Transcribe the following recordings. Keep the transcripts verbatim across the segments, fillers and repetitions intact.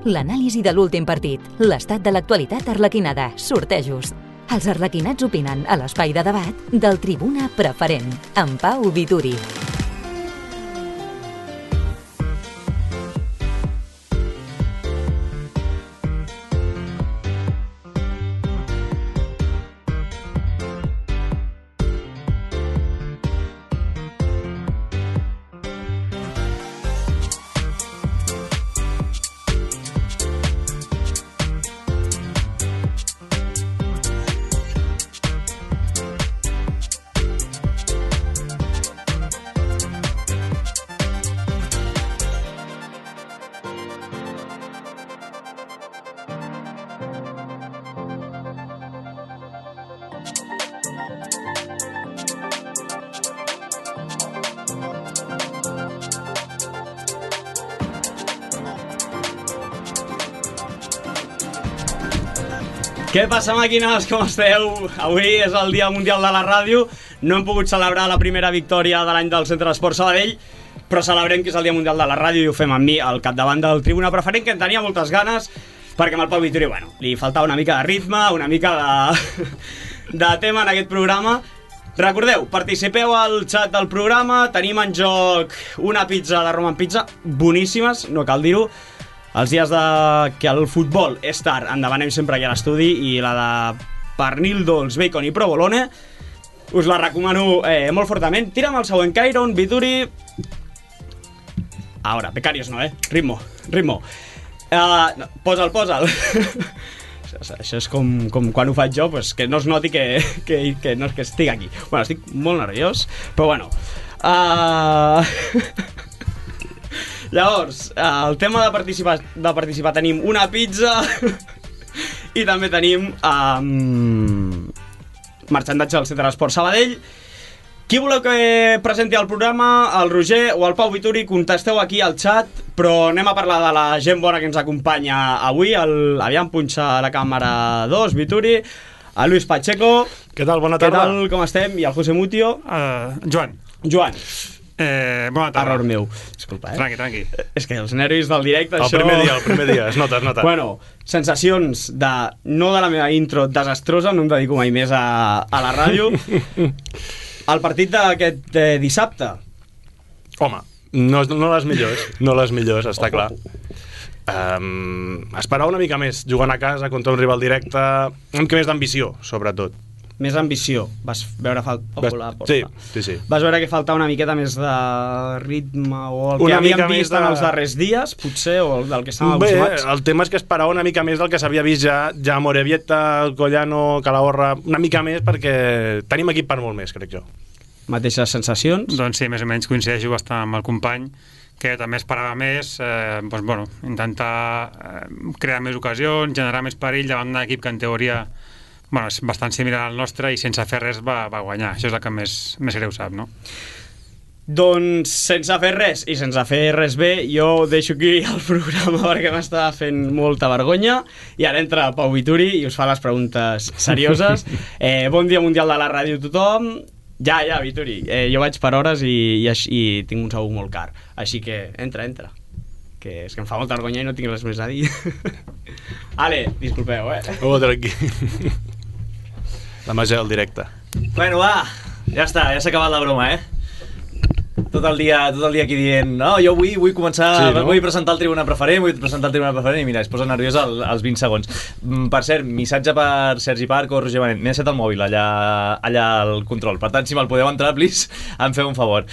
l'anàlisi de l'últim partit, l'estat de l'actualitat arlequinada, sortejos. Els arlequinats opinen a l'espai de debat del Tribuna Preferent, amb Pau Vituri. Què passa, màquines? Com esteu? Avui és el Dia Mundial de la Ràdio. No hem pogut celebrar la primera victòria de l'any del Centre d'Esport Sabadell, però celebrem que és el Dia Mundial de la Ràdio i ho fem amb mi al capdavant del Tribuna Preferent, que en tenia moltes ganes, perquè amb el Pau Vituri, bueno, li faltava una mica de ritme, una mica de, de tema en aquest programa. Recordeu, participeu al xat del programa, tenim en joc una pizza de Roman Pizza, boníssimes, no cal dir-ho. Els dies de que el futbol és tard en demanem sempre aquí a l'estudi, i la de pernil dolç, bacon i provolone us la recomano eh, molt fortament. Tira'm el següent Cairon, Vituri. Ara, becarios no, eh? Ritmo, ritmo. Uh, no, posa'l, posa'l. Això és com, com quan ho faig jo, pues, que no es noti que, que, que no és que estic aquí. Bueno, estic molt nerviós, però bueno. Uh... Llavors, el tema de participar, de participar tenim una pizza i també tenim um, marxandatge del Centre d'Esport Sabadell. Qui voleu que presenti el programa? El Roger o el Pau Vituri? Contesteu aquí al xat, però anem a parlar de la gent bona que ens acompanya avui. El, aviam, punxa la càmera dos, Vituri. El Luis Pacheco. Què tal? Bona tarda. Què tal? Com estem? I el José Mutio. Uh, Joan. Joan. Eh, bona tarda. Error meu. Disculpa, eh? Tranqui, tranqui. És que els nervis del directe, el això... El primer dia, el primer dia, es nota, es nota. Bueno, sensacions de... No de la meva intro desastrosa, no em dedico mai més a, a la ràdio. El partit d'aquest eh, dissabte. Home, no, no les millors, no les millors, està clar. Um, esperar una mica més, jugant a casa contra un rival directe, una mica més d'ambició, sobretot. Més ambició. Vas veure fal... Vas... Sí, sí, sí. Vas veure que faltava una miqueta més de ritme o el que una havíem vist de... en els darrers dies, potser, o del que estàvem acostumats? Bé, el tema és que esperava una mica més del que s'havia vist ja, ja Morevieta, Collano, Calahorra, una mica més, perquè tenim equip per molt més, crec jo. Mateixes sensacions? Doncs sí, més o menys coincideixo bastant amb el company, que també esperava més, eh, doncs, bueno, intentar eh, crear més ocasions, generar més perill davant d'un equip que en teoria... Bueno, és bastant similar al nostre i sense fer res va, va guanyar. Això és el que més, més greu sap, no? Doncs sense fer res i sense fer res bé, jo deixo aquí el programa perquè m'està fent molta vergonya, i ara entra Pau Vituri i us fa les preguntes serioses. eh, Bon dia mundial de la ràdio a tothom. Ja, ja, Vituri, eh, jo vaig per hores i, i, i tinc un sou molt car, així que entra, entra, que és que em fa molta vergonya i no tinc res més a dir. Ale, disculpeu, eh? Oh, tranqui. La màgia del directe. Bueno, va, ja està, ja s'ha acabat la broma, eh? Tot el dia, tot el dia aquí dient no, jo vull, vull començar, sí, no? Vull presentar el Tribuna Preferent, vull presentar el Tribuna Preferent, i mira, es posa nerviós al, als vint segons. Per cert, missatge per Sergi Parc o Roger Benet, m'he deixat el mòbil allà, allà al control, per tant, si me'l podeu entrar, please, em feu un favor.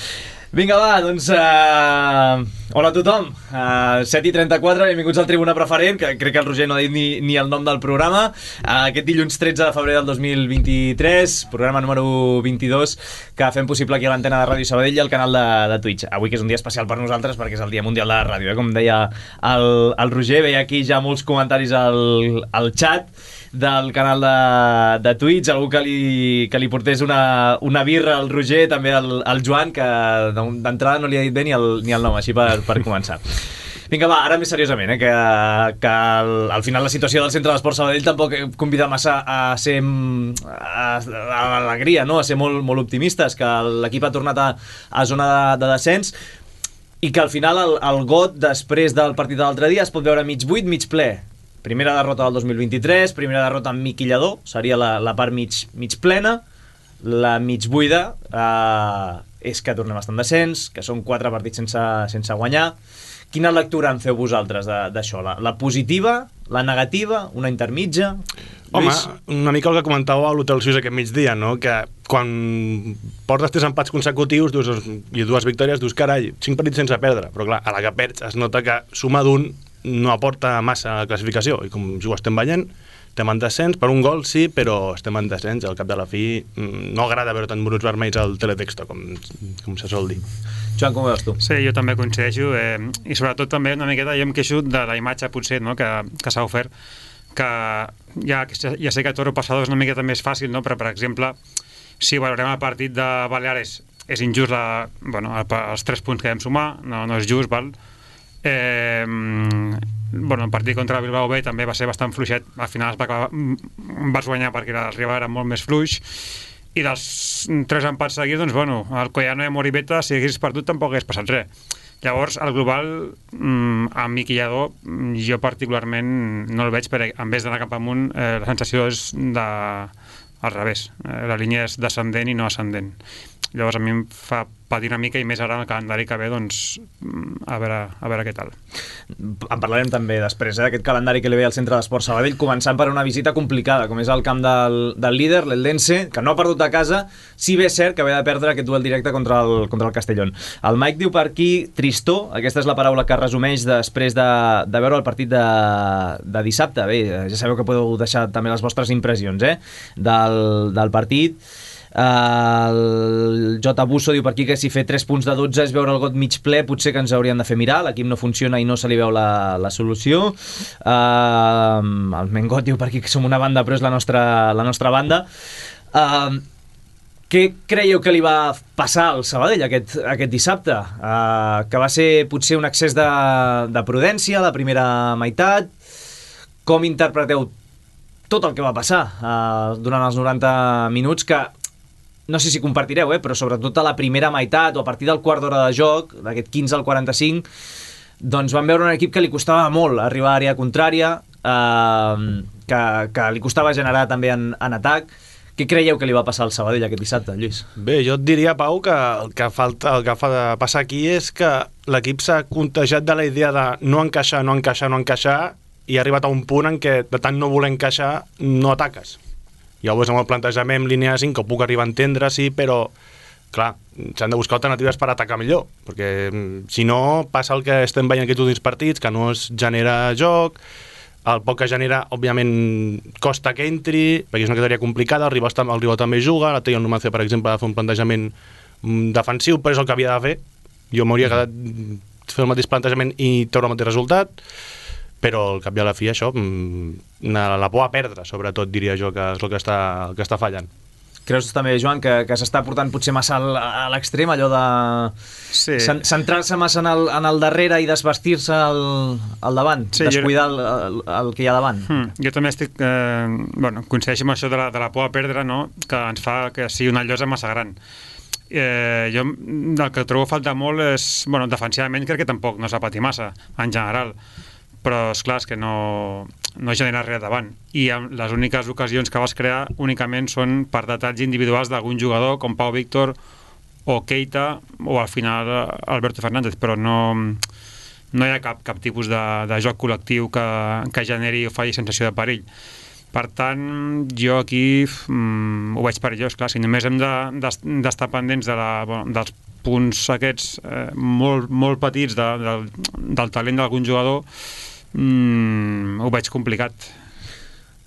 Vinga, va, doncs... Uh... Hola a tothom, uh, set i trenta-quatre, benvinguts al Tribuna Preferent, que crec que el Roger no ha dit ni, ni el nom del programa. uh, Aquest dilluns tretze de febrer del dos mil vint-i-tres, programa número vint-i-dos, que fem possible aquí a l'antena de Ràdio Sabadell i al canal de, de Twitch. Avui que és un dia especial per nosaltres perquè és el Dia Mundial de la Ràdio, eh? Com deia el, el Roger, veia aquí ja molts comentaris al, al chat del canal de, de Twitch, algú que li, que li portés una, una birra al Roger, també al, al Joan, que d'entrada no li ha dit bé ni el, ni el nom, així per, per començar. Vinga, va, ara més seriosament, eh, que, que al, al final la situació del Centre d'Esport Sabadell tampoc convida massa a ser a, a l'alegria, no? A ser molt, molt optimistes, que l'equip ha tornat a, a zona de, de descens. i que al final el, el got després del partit de l'altre dia es pot veure mig buit, mig ple. Primera derrota del dos mil vint-i-tres, primera derrota amb miquillador, seria la, la part mig, mig plena. La mig buida eh, és que tornem a estar en descens, que són quatre partits sense, sense guanyar. Quina lectura en feu vosaltres d'això? La, la positiva, la negativa, una intermitja? Home, Lluís? una mica el que comentàveu a l'Hotel Suís aquest migdia, no? Que quan portes tres empats consecutius dius, i dues victòries, dius, carai, cinc partits sense perdre. Però clar, a la que perds es nota que suma d'un no aporta massa a la classificació. I com ho estem veient, estem en descens, per un gol sí, però estem en descens. Al cap de la fi no agrada veure tant bruts vermells al teletexto, com, com se sol dir. Joan, com ho veus tu? Sí, jo també coincideixo, eh, i sobretot també una miqueta jo em queixo de la imatge potser, no?, que, que s'ha ofert, que ja, ja sé que Toro Passador és una miqueta més fàcil, no?, però per exemple, si valorem el partit de Baleares, és injust la, bueno, el, els tres punts que vam sumar, no, no és just, val? Eh, bueno, el partit contra el Bilbao B també va ser bastant fluixet, al final es va acabar, vas guanyar perquè el rival era molt més fluix, i dels tres empats seguits, doncs, bueno, el Collano i Moribeta, si hagués perdut, tampoc hagués passat res. Llavors, el global, mmm, amb Miquillador, jo particularment no el veig, perquè en vez d'anar cap amunt, eh, la sensació és de... al revés. Eh, la línia és descendent i no ascendent. Llavors, a mi em fa patir una mica, i més ara en el calendari que ve, doncs, a veure, a veure què tal. En parlarem també després, eh, d'aquest calendari que li ve al Centre d'Esport Sabadell, començant per una visita complicada, com és el camp del, del líder, l'Eldense, que no ha perdut de casa, si bé és cert que havia de perdre aquest duel directe contra el, contra el Castellón. El Mike diu per aquí tristor, aquesta és la paraula que resumeix després de, de veure el partit de, de dissabte. Bé, ja sabeu que podeu deixar també les vostres impressions, eh, del, del partit. El J. Busso diu per aquí que si fer tres punts de dotze és veure el got mig ple, potser que ens haurien de fer mirar, l'equip no funciona i no se li veu la, la solució. uh, el Mengot diu per aquí que som una banda però és la nostra, la nostra banda. uh, què creieu que li va passar al Sabadell aquest, aquest dissabte? Uh, que va ser potser un excés de, de prudència la primera meitat? Com interpreteu tot el que va passar uh, durant els noranta minuts, que no sé si compartireu, eh, però sobretot a la primera meitat o a partir del quart d'hora de joc, d'aquest quinze al quaranta-cinc, doncs vam veure un equip que li costava molt arribar a àrea contrària, eh, que, que li costava generar també en, en atac. Què creieu que li va passar al Sabadell aquest dissabte, Lluís? Bé, jo et diria, Pau, que el que, falta, el que fa de passar aquí és que l'equip s'ha contagiat de la idea de no encaixar, no encaixar, no encaixar, i ha arribat a un punt en què de tant no voler encaixar no ataques. Llavors amb el plantejament línia cinc que ho puc arribar a entendre, sí, però clar, s'han de buscar alternatives per atacar millor, perquè si no passa el que estem veient aquests últims partits, que no es genera joc, el poc que genera, òbviament, costa que entri, perquè és una categoria complicada, el rival, el rival també juga, la Teo Numancia, per exemple, ha de fer un plantejament defensiu, però és el que havia de fer. Jo m'hauria quedat fer el mateix plantejament i treure el mateix resultat, però al cap i a la fi això, la, la por a perdre, sobretot, diria jo, que és el que està, el que està fallant. Creus també, Joan, que, que s'està portant potser massa al, a l'extrem, allò de sí. centrar-se massa en el, en el darrere i desvestir-se al, al davant, sí, descuidar jo... el, el, el que hi ha davant? Hmm. Jo també estic, eh, bueno, coincideixo amb això de la, de la por a perdre, no?, que ens fa que sigui una llosa massa gran. Eh, jo el que trobo falta molt és, bueno, defensivament crec que tampoc no s'ha patit massa, en general, però esclar, és que no, no genera res davant, i les úniques ocasions que vas crear únicament són per detalls individuals d'algun jugador com Pau Víctor o Keita o al final Alberto Fernández, però no, no hi ha cap, cap tipus de, de joc col·lectiu que, que generi o faci sensació de perill. Per tant, jo aquí mm, ho veig perillós, clar, si només hem d'estar de, de, pendents de la, bueno, dels punts aquests eh, molt, molt petits de, de, del talent d'algun jugador, mm, ho veig complicat.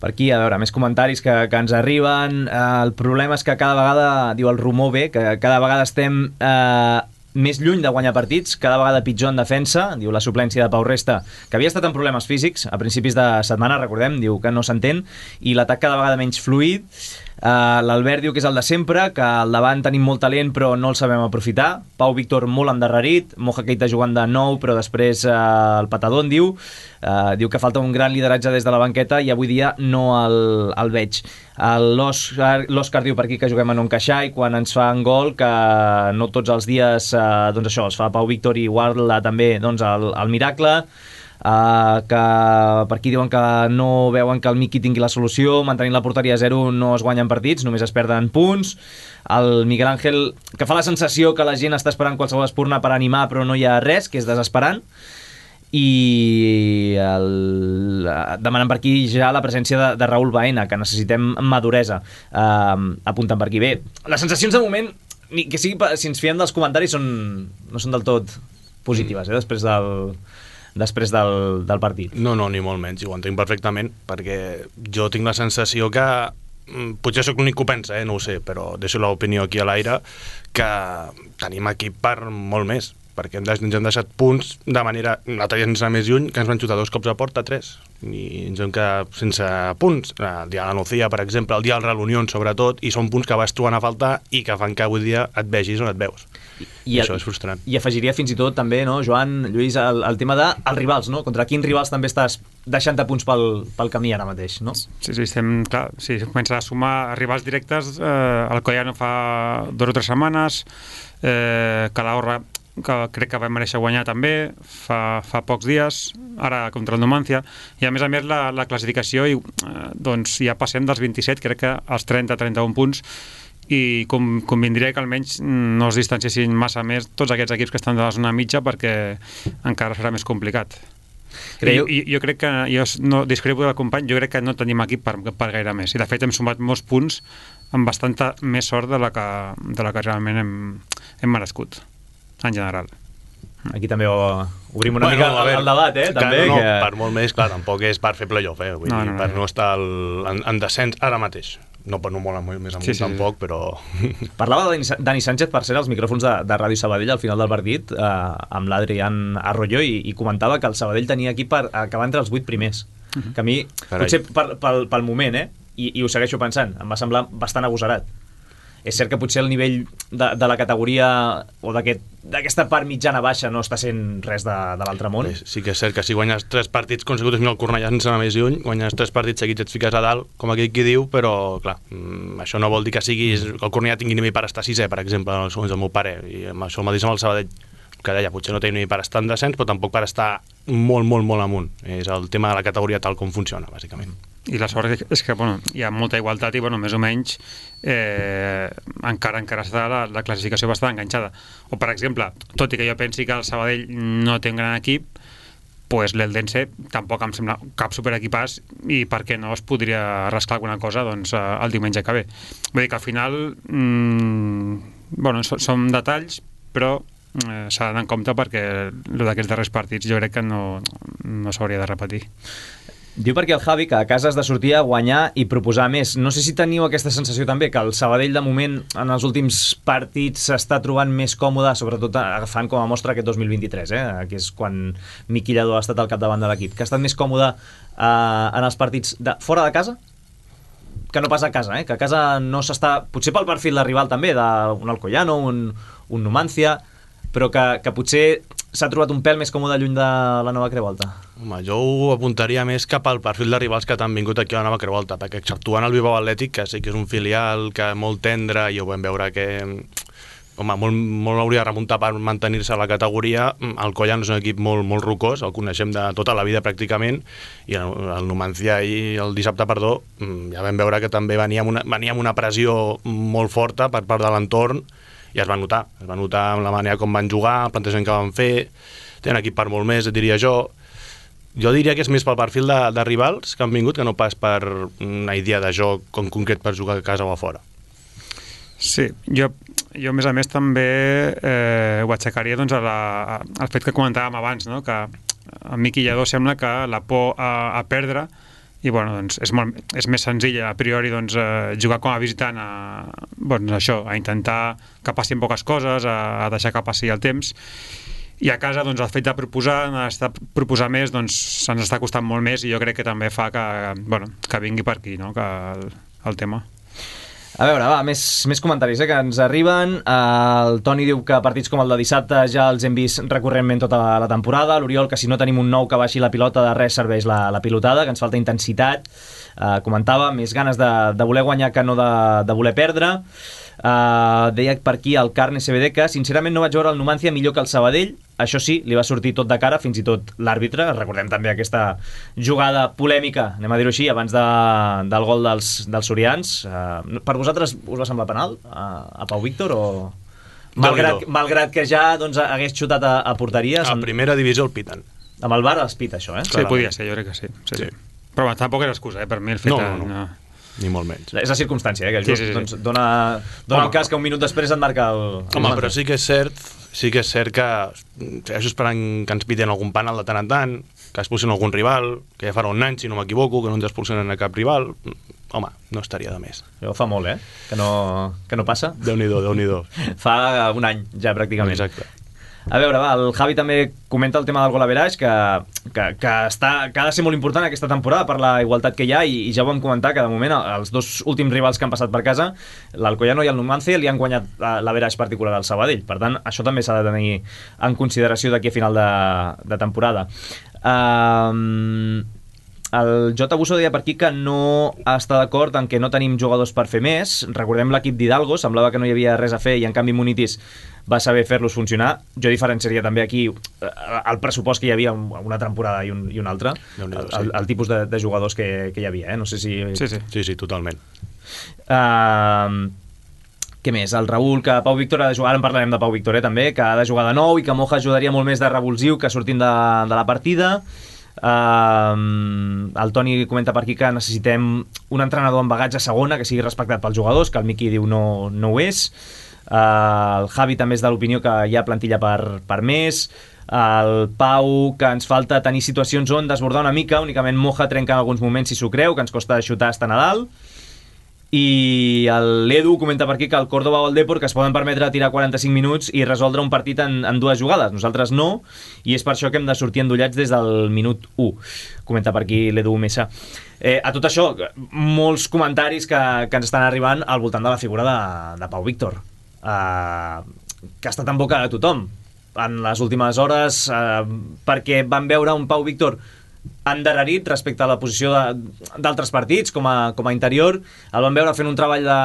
Per aquí, a veure, més comentaris que, que ens arriben. Eh, el problema és que cada vegada, diu el rumor bé, que cada vegada estem eh, més lluny de guanyar partits, cada vegada pitjor en defensa, diu la suplència de Pau Resta, que havia estat en problemes físics a principis de setmana, recordem, diu que no s'entén, i l'atac cada vegada menys fluid. Uh, L'Albert diu que és el de sempre, que al davant tenim molt talent però no el sabem aprofitar. Pau Víctor molt endarrerit, Moja Keita jugant de nou però després uh, el patadón diu uh, diu que falta un gran lideratge des de la banqueta i avui dia no el, el veig. L'Òscar diu per aquí que juguem a no encaixar i quan ens fan gol que no tots els dies uh, doncs això, es fa Pau Víctor i guarda també doncs, el, el miracle. Uh, que per aquí diuen que no veuen que el Miqui tingui la solució, mantenint la porteria a zero no es guanyen partits, només es perden punts. El Miguel Ángel, que fa la sensació que la gent està esperant qualsevol espurna per animar però no hi ha res, que és desesperant. I el... demanen per aquí ja la presència de, de Raúl Baena, que necessitem maduresa. Uh, apunten per aquí. Bé, les sensacions de moment, ni que sigui, si ens fiem dels comentaris, són, no són del tot positives, eh, després del... després del, del partit. No, no, ni molt menys, ho entenc perfectament, perquè jo tinc la sensació que, potser sóc l'únic que ho pensa, eh, no ho sé, però deixo l'opinió aquí a l'aire, que tenim equip per molt més, perquè ens hem deixat punts de manera, l'altre dia sense anar més lluny, que ens van xutar dos cops a porta, tres, i ens hem quedat sense punts, el dia de la Nucía, per exemple, el dia del Real Unión, sobretot, i són punts que vas trobant a faltar i que fan que avui dia et vegis on et veus. I, I això el, és frustrant. I afegiria fins i tot també, no, Joan, Lluís, el, el tema dels de, rivals, no? Contra quins rivals també estàs deixant-te punts pel, pel camí ara mateix, no? Sí, sí, estem, clar, sí, comença a sumar rivals directes, eh, el Collano fa dues o tres setmanes, eh, Calahorra, que crec que va mereixer guanyar també fa, fa pocs dies, ara contra el Numancia, i a més a més la, la classificació i, eh, doncs ja passem dels vint-i-set, crec que als trenta a trenta-un punts, i com, convindria que almenys no es distanciessin massa més tots aquests equips que estan de la zona mitja, perquè encara serà més complicat. Creieu? I, i jo crec que, jo no discrepo del company, jo crec que no tenim equip per, per gaire més, i de fet hem sumat molts punts amb bastanta més sort de la que, de la que realment hem, hem merescut en general. Aquí també obrim una bueno, mica no, el, el debat, eh? També, també no, que... per molt més, clar, tampoc és per fer playoff, eh? Vull no, dir, no, no, per no. no estar el, en, en descens ara mateix. No, per no molt més amunt, sí, sí, tampoc, sí. Però... Parlava de Dani Sánchez, per ser als micròfons de, de Ràdio Sabadell al final del partit, eh, amb l'Adrián Arroyo, i, i comentava que el Sabadell tenia aquí per acabar entre els vuit primers. Uh-huh. Que a mi, Carai. potser pel, pel, pel moment, eh? I, i ho segueixo pensant, em va semblar bastant agosarat. És cert que potser el nivell de, de la categoria o d'aquesta aquest, part mitjana-baixa no està sent res de, de l'altre món. Sí que és cert que si guanyes tres partits consecutius amb el Cornellà sense anar més lluny, guanyes tres partits seguits et fiques a dalt, com aquell qui diu, però clar, això no vol dir que siguis, que el Cornellà tingui nivell per estar sisè, per exemple, segons el meu pare, i amb això el mateix amb el Sabadell, que deia, potser no té nivell per estar en descens, però tampoc per estar molt, molt, molt amunt. És el tema de la categoria tal com funciona, bàsicament. I la sort és que bueno, hi ha molta igualtat i bueno, més o menys eh, encara encara està la, la classificació bastant enganxada. O per exemple, tot i que jo pensi que el Sabadell no té un gran equip, pues l'Eldense tampoc em sembla cap superequipàs i per què no es podria rasclar alguna cosa doncs, el diumenge que ve. Vull dir que al final mmm, bueno, so, són detalls, però eh, s'ha d'anar en compte perquè el d'aquests darrers partits jo crec que no, no s'hauria de repetir. Diu perquè el Javi que a casa has de sortir a guanyar i proposar més. No sé si teniu aquesta sensació també, que el Sabadell de moment en els últims partits s'està trobant més còmode, sobretot agafant com a mostra aquest dos mil vint-i-tres, eh? Que és quan Miqui Lladó ha estat al capdavant de l'equip, que ha estat més còmode eh, en els partits de, fora de casa que no pas a casa, eh? Que a casa no s'està, potser pel perfil de rival també, d'un Alcoyano, un, un Numancia, però que, que potser s'ha trobat un pèl més còmode lluny de la Nova Creu Alta. Home, jo ho apuntaria més cap al perfil de rivals que t'han vingut aquí a la Nova Creu Alta, perquè exceptuant el Bilbao Atlètic, que sí que és un filial que molt tendre, i ho vam veure que home, molt, molt hauria de remuntar per mantenir-se a la categoria. El Collano és un equip molt, molt rocós, el coneixem de tota la vida pràcticament, i el, el Numancia i el dissabte, perdó, ja vam veure que també venia amb una, venia amb una pressió molt forta per part de l'entorn, i es va notar, es va notar amb la manera com van jugar, el plantejament que van fer, tenen equip per molt més, diria jo. Jo diria que és més pel perfil de, de rivals que han vingut que no pas per una idea de joc en concret per jugar a casa o a fora. Sí, jo, jo a més a més també eh, ho aixecaria doncs, a la, a, al fet que comentàvem abans, no? Que a Miqui Lladó sembla que la por a, a perdre i bueno, doncs és, molt, és més senzill a priori doncs, eh, jugar com a visitant a, doncs, això, a intentar que passin poques coses, a, a deixar que passi el temps, i a casa doncs, el fet de proposar, de proposar més doncs, se'ns està costant molt més, i jo crec que també fa que, bueno, que vingui per aquí, no? Que el, el tema. A veure, va, més, més comentaris eh, que ens arriben. El Toni diu que partits com el de dissabte ja els hem vist recurrentment tota la, la temporada. L'Oriol, que si no tenim un nou que baixi la pilota, de res serveix la, la pilotada, que ens falta intensitat. Uh, comentava, més ganes de, de voler guanyar que no de, de voler perdre. Uh, deia per aquí el Carne C B D que sincerament no vaig veure el Numancia millor que el Sabadell. Això sí, li va sortir tot de cara, fins i tot l'àrbitre. Recordem també aquesta jugada polèmica, anem a dir-ho així, abans de, del gol dels, dels sorians. Uh, per vosaltres us va semblar penal a, a Pau Víctor o... Malgrat, malgrat que ja doncs, hagués xutat a, a porteria... A primera divisió el piten. Amb el V A R es pita això, eh? Sí, podia ser, jo crec que sí. sí, sí. sí. Però bueno, tampoc era excusa, eh? Per mi el fet... No, no, no. no. Ni molt menys. És la circumstància, eh? Que sí, just, sí, sí. doncs, dona, dona el cas que un minut després et marca el... el Home, però sí que és cert sí que és cert que segueixo esperant que ens piten algun penal de tant en tant, que expulsin algun rival, que ja farà un any, si no m'equivoco, que no ens expulsen a cap rival. Home, no estaria de més. Això fa molt, eh? Que no, que no passa. Déu-n'hi-do, Déu-n'hi-do. Fa un any, ja, pràcticament. Exacte. A veure, va, el Javi també comenta el tema del gol average, que, que, que, està, que ha de ser molt important aquesta temporada per la igualtat que hi ha, i, i ja ho vam comentar que de moment els dos últims rivals que han passat per casa, l'Alcoyano i el Numancia, li han guanyat l'average particular al Sabadell. Per tant, això també s'ha de tenir en consideració d'aquí a final de, de temporada. Um, el J. Busso deia per aquí que no està d'acord en que no tenim jugadors per fer més. Recordem l'equip d'Hidalgo, semblava que no hi havia res a fer i en canvi Munitis va saber fer-los funcionar. Jo diferenciaria també aquí el pressupost que hi havia una temporada i, un, i una altra, el, el, el tipus de, de jugadors que, que hi havia, eh? No sé si... Sí, sí, sí, sí totalment. Uh, què més? El Raül, que Pau Víctor ha de jugar, ara en parlarem de Pau Víctor, eh, també, que ha de jugar de nou i que Moja ajudaria molt més de revulsiu que sortint de, de la partida. Uh, el Toni comenta per aquí que necessitem un entrenador amb bagatge a segona que sigui respectat pels jugadors, que el Miqui diu no, no ho és. Uh, el Javi també és de l'opinió que hi ha plantilla per, per més. El Pau, que ens falta tenir situacions on desbordar una mica, únicament Moja trenca en alguns moments si s'ho creu, que ens costa xutar estar a dalt. I l'Edu comenta per aquí que el Córdoba o el Depor que es poden permetre tirar quaranta-cinc minuts i resoldre un partit en, en dues jugades. Nosaltres no, i és per això que hem de sortir endollats des del minut u. Comenta per aquí l'Edu Mesa. Eh, a tot això, molts comentaris que, que ens estan arribant al voltant de la figura de, de Pau Víctor, eh, que ha estat en boca de tothom en les últimes hores, eh, perquè van veure un Pau Víctor endarrerit respecte a la posició d'altres partits com a, com a interior. El vam veure fent un treball de,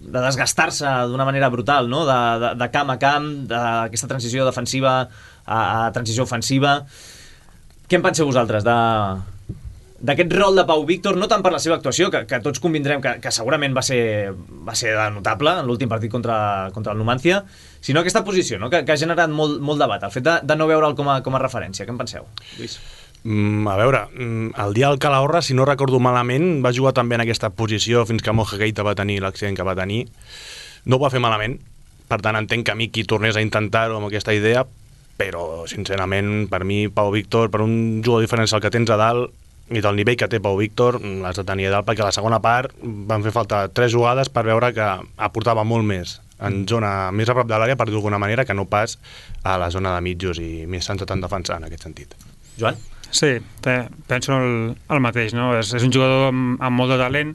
de desgastar-se d'una manera brutal, no? de, de, de camp a camp, d'aquesta transició defensiva a, a transició ofensiva. Què en penseu vosaltres de, d'aquest rol de Pau Víctor, no tant per la seva actuació, que, que tots convindrem que, que segurament va ser, va ser notable en l'últim partit contra, contra el Numancia, sinó aquesta posició, no? que, que ha generat molt, molt debat, el fet de, de no veure'l com a, com a referència. Què en penseu, Lluís? Mm, a veure, el dia del Calahorra, si no recordo malament, va jugar també en aquesta posició fins que Moja Keita va tenir l'accident que va tenir. No ho va fer malament, per tant entenc que a mi qui tornés a intentar-ho amb aquesta idea, però sincerament per mi Pau Víctor, per un jugador diferencial que tens a dalt i del nivell que té Pau Víctor, l'has de tenir a dalt, perquè a la segona part van fer falta tres jugades per veure que aportava molt més en zona més a prop de l'àrea, per dir d'alguna manera, que no pas a la zona de mitjos i més sense tant defensar en aquest sentit. Joan? Sí, té, penso el, el mateix, no? És, és un jugador amb, amb molt de talent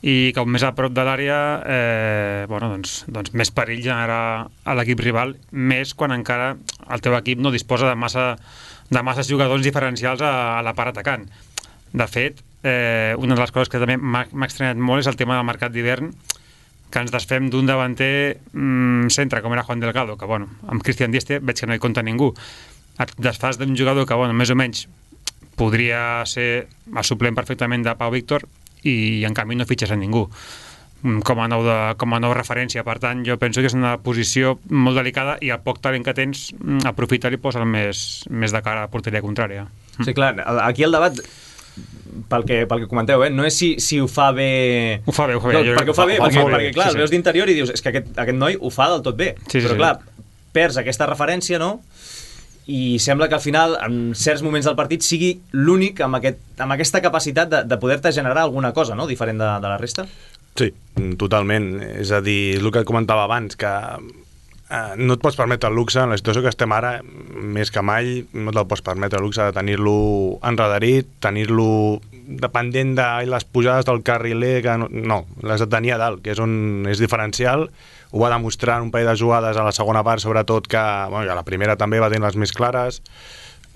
i com més a prop de l'àrea eh, bueno, doncs, doncs més perill generar a l'equip rival, més quan encara el teu equip no disposa de massa, de masses jugadors diferencials a, a la part atacant. De fet, eh, una de les coses que també m'ha estranyat molt és el tema del mercat d'hivern, que ens desfem d'un davanter mmm, centre, com era Juan Delgado, que bueno, amb Cristian Dieste veig que no hi compta ningú. Et desfas d'un jugador que, bueno, més o menys podria ser el suplent perfectament de Pau Víctor i en canvi no fitxes a ningú com a nou, de, com a nou referència. Per tant, jo penso que és una posició molt delicada i el poc talent que tens aprofita i posa més, més de cara a la porteria contrària. Sí, clar, aquí el debat pel que, pel que comenteu, eh? No és si, si ho fa bé... Ho fa bé, ho fa bé. No, perquè ho fa bé, ho fa perquè, bé. perquè clar, sí, sí. El veus d'interior i dius és que aquest, aquest noi ho fa del tot bé, sí, sí, però sí. clar, perds aquesta referència, no? I sembla que al final, en certs moments del partit, sigui l'únic amb, aquest, amb aquesta capacitat de, de poder-te generar alguna cosa, no?, diferent de, de la resta. Sí, totalment. És a dir, el que comentava abans, que eh, no et pots permetre el luxe, en la situació que estem ara, més que mai, no te'l pots permetre el luxe de tenir-lo enredarit, tenir-lo dependent de les pujades del carriler, que no, no l'has de tenir a dalt, que és on és diferencial. Ho va demostrar en un parell de jugades a la segona part, sobretot, que bueno, a la primera també va tenir les més clares.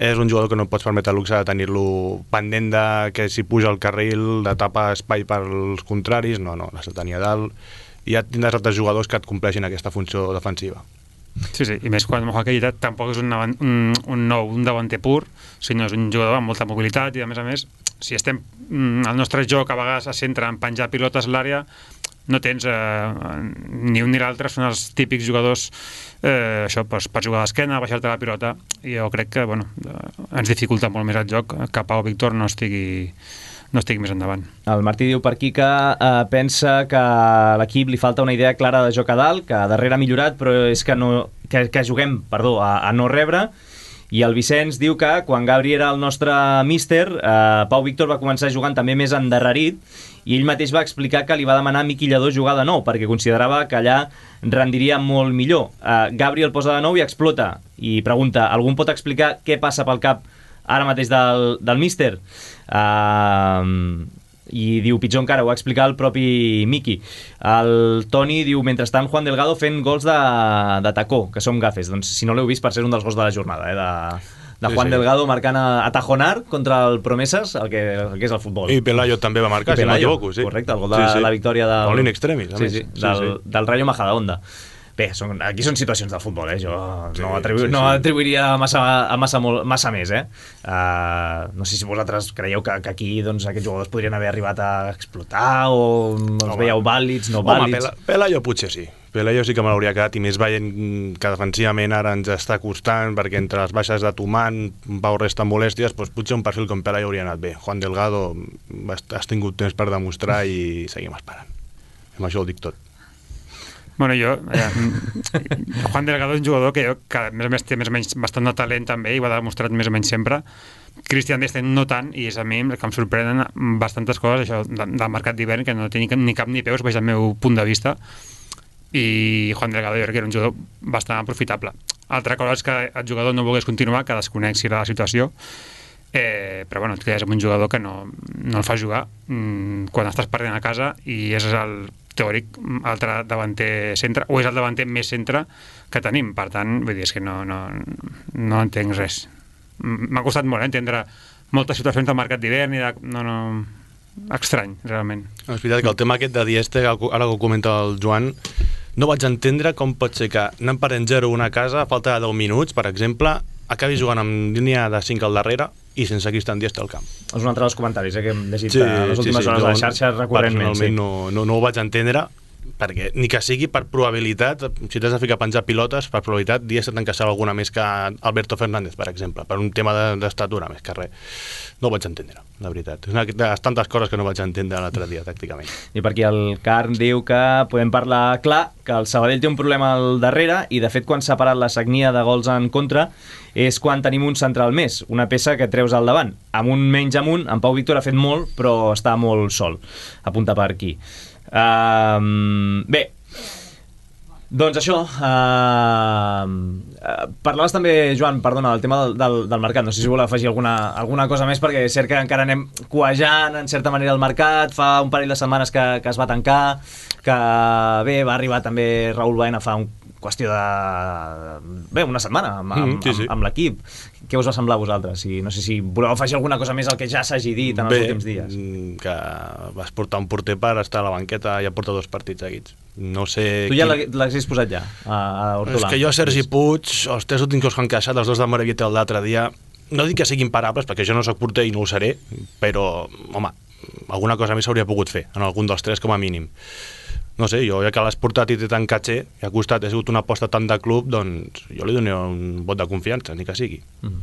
És un jugador que no et pots permetre el luxe de tenir-lo pendent de que si puja al carril, de tapar espai pels contraris, no, no, l'has de tenir a dalt. I ja tindràs altres jugadors que et compleixin aquesta funció defensiva. Sí, sí, i més quan Moja Queita tampoc és un, un, un nou, un davanter pur, sinó és un jugador amb molta mobilitat i, a més a més, si estem el nostre joc a vegades es centra en penjar pilotes a l'àrea, no tens eh, ni un ni l'altre, són els típics jugadors eh, això, per, per jugar d'esquena, baixar-te la pilota, i jo crec que bueno, ens dificulta molt més el joc que Pau Víctor no estigui no estigui més endavant. El Martí diu per aquí que eh, pensa que a l'equip li falta una idea clara de joc a dalt, que darrere ha millorat, però és que, no, que, que juguem perdó, a, a no rebre. I el Vicenç diu que quan Gabri era el nostre míster, eh, Pau Víctor va començar jugant també més endarrerit, i ell mateix va explicar que li va demanar a Miqui Lladó jugar de nou, perquè considerava que allà rendiria molt millor. Eh, Gabri el posa de nou i explota, i pregunta, algú em pot explicar què passa pel cap ara mateix del, del míster? Uh, i diu, pitjor encara, ho va explicar el propi Miqui. El Toni diu, mentrestant Juan Delgado fent gols de, de tacó, que som gafes. Doncs si no l'heu vist, per ser un dels gols de la jornada, eh, de, de Juan sí, sí. Delgado marcant a, a Tajonar contra el Promesas, el que, el que és el futbol. I Pelayo també va marcar, si no m'equivoco. Sí. Correcte, el gol de sí, sí. la victòria del... Gol in extremis, a sí, més. Sí, del, sí, sí. del Rayo Majadahonda. Bé, són, aquí són situacions del futbol, eh? Jo sí, no, atribu sí, sí. no atribuiria massa, massa, molt, massa més, eh? Uh, no sé si vosaltres creieu que, que aquí doncs, aquests jugadors podrien haver arribat a explotar o els Home. veieu vàlids, no vàlids... Home, Pelayo potser sí. Pelayo sí que me l'hauria quedat, i més veient que defensivament ara ens està costant, perquè entre les baixes de Tuman, Pau resta molèsties, doncs potser un perfil com Pelayo hauria anat bé. Juan Delgado has tingut temps per demostrar i seguim esperant. Amb això ho dic tot. Bueno, jo, eh, Juan Delgado és un jugador que, jo, que a més a més té més o menys bastant de talent també, i ho ha demostrat més o menys sempre. Christian Desten no tant, i és a mi que em sorprenen bastantes coses això de, del mercat d'hivern, que no té ni, ni cap ni peus, veig el meu punt de vista, i Juan Delgado jo crec que era un jugador bastant aprofitable. Altra cosa és que el jugador no volgués continuar, que desconeixi la situació, eh, però bueno, és un jugador que no, no el fa jugar mm, quan estàs perdent a casa, i és el teòric altre davanter centre, o és el davanter més centre que tenim, per tant, vull dir, és que no, no, no entenc res. M'ha costat molt eh, entendre moltes situacions del mercat d'hivern i de... no, no... estrany, realment. És veritat que el tema aquest de Dieste, ara que ho comenta el Joan, no vaig entendre com pot ser que anant per en zero una casa, a falta de deu minuts, per exemple, acabi jugant amb línia de cinc al darrere i sense Christian Dieste al camp. És un altre dels comentaris eh, que hem llegit sí, les últimes sí, sí. hores a les xarxes recurrentment. Personalment sí. no, no, no ho vaig entendre, perquè ni que sigui per probabilitat, si t'has de ficar a penjar pilotes, per probabilitat Dieste t'encaixava alguna més que Alberto Fernández, per exemple, per un tema d'estatura de, més que res. No ho vaig entendre, la veritat. És una de les tantes coses que no vaig entendre l'altre dia, tàcticament. I per aquí el Carn diu que podem parlar clar, que el Sabadell té un problema al darrere, i de fet quan s'ha parat la sagnia de gols en contra és quan tenim un central més, una peça que treus al davant. Amb un menys amunt, en Pau Víctor ha fet molt, però està molt sol. Apunta per aquí. Uh, bé, doncs això, uh, uh, parlaves també, Joan, perdona, del tema del, del, del mercat, no sé si voleu afegir alguna, alguna cosa més, perquè és cert que encara anem cuejant en certa manera el mercat, fa un parell de setmanes que, que es va tancar, que bé, va arribar també Raúl Baena fa un qüestió de... bé, una setmana amb, amb, mm, sí, sí. amb, amb l'equip. Què us va semblar a vosaltres? I no sé si voleu afegir alguna cosa més al que ja s'hagi dit en els bé, últims dies. Que vas portar un porter per estar a la banqueta i ja porta dos partits seguits. No sé... Tu ja quin... l'has posat ja, a, a Hortolà. És que jo, Sergi Puig, els tres últims que us han queixat, els dos de Morevieta l'altre dia, no dic que siguin imparables, perquè jo no soc porter i no ho seré, però, home, alguna cosa més s'hauria pogut fer, en algun dels tres com a mínim. No sé, jo ja que l'has portat i té tant catxer, i ha costat, ha sigut una aposta tant de club, doncs jo li dono un vot de confiança, ni que sigui. Mm.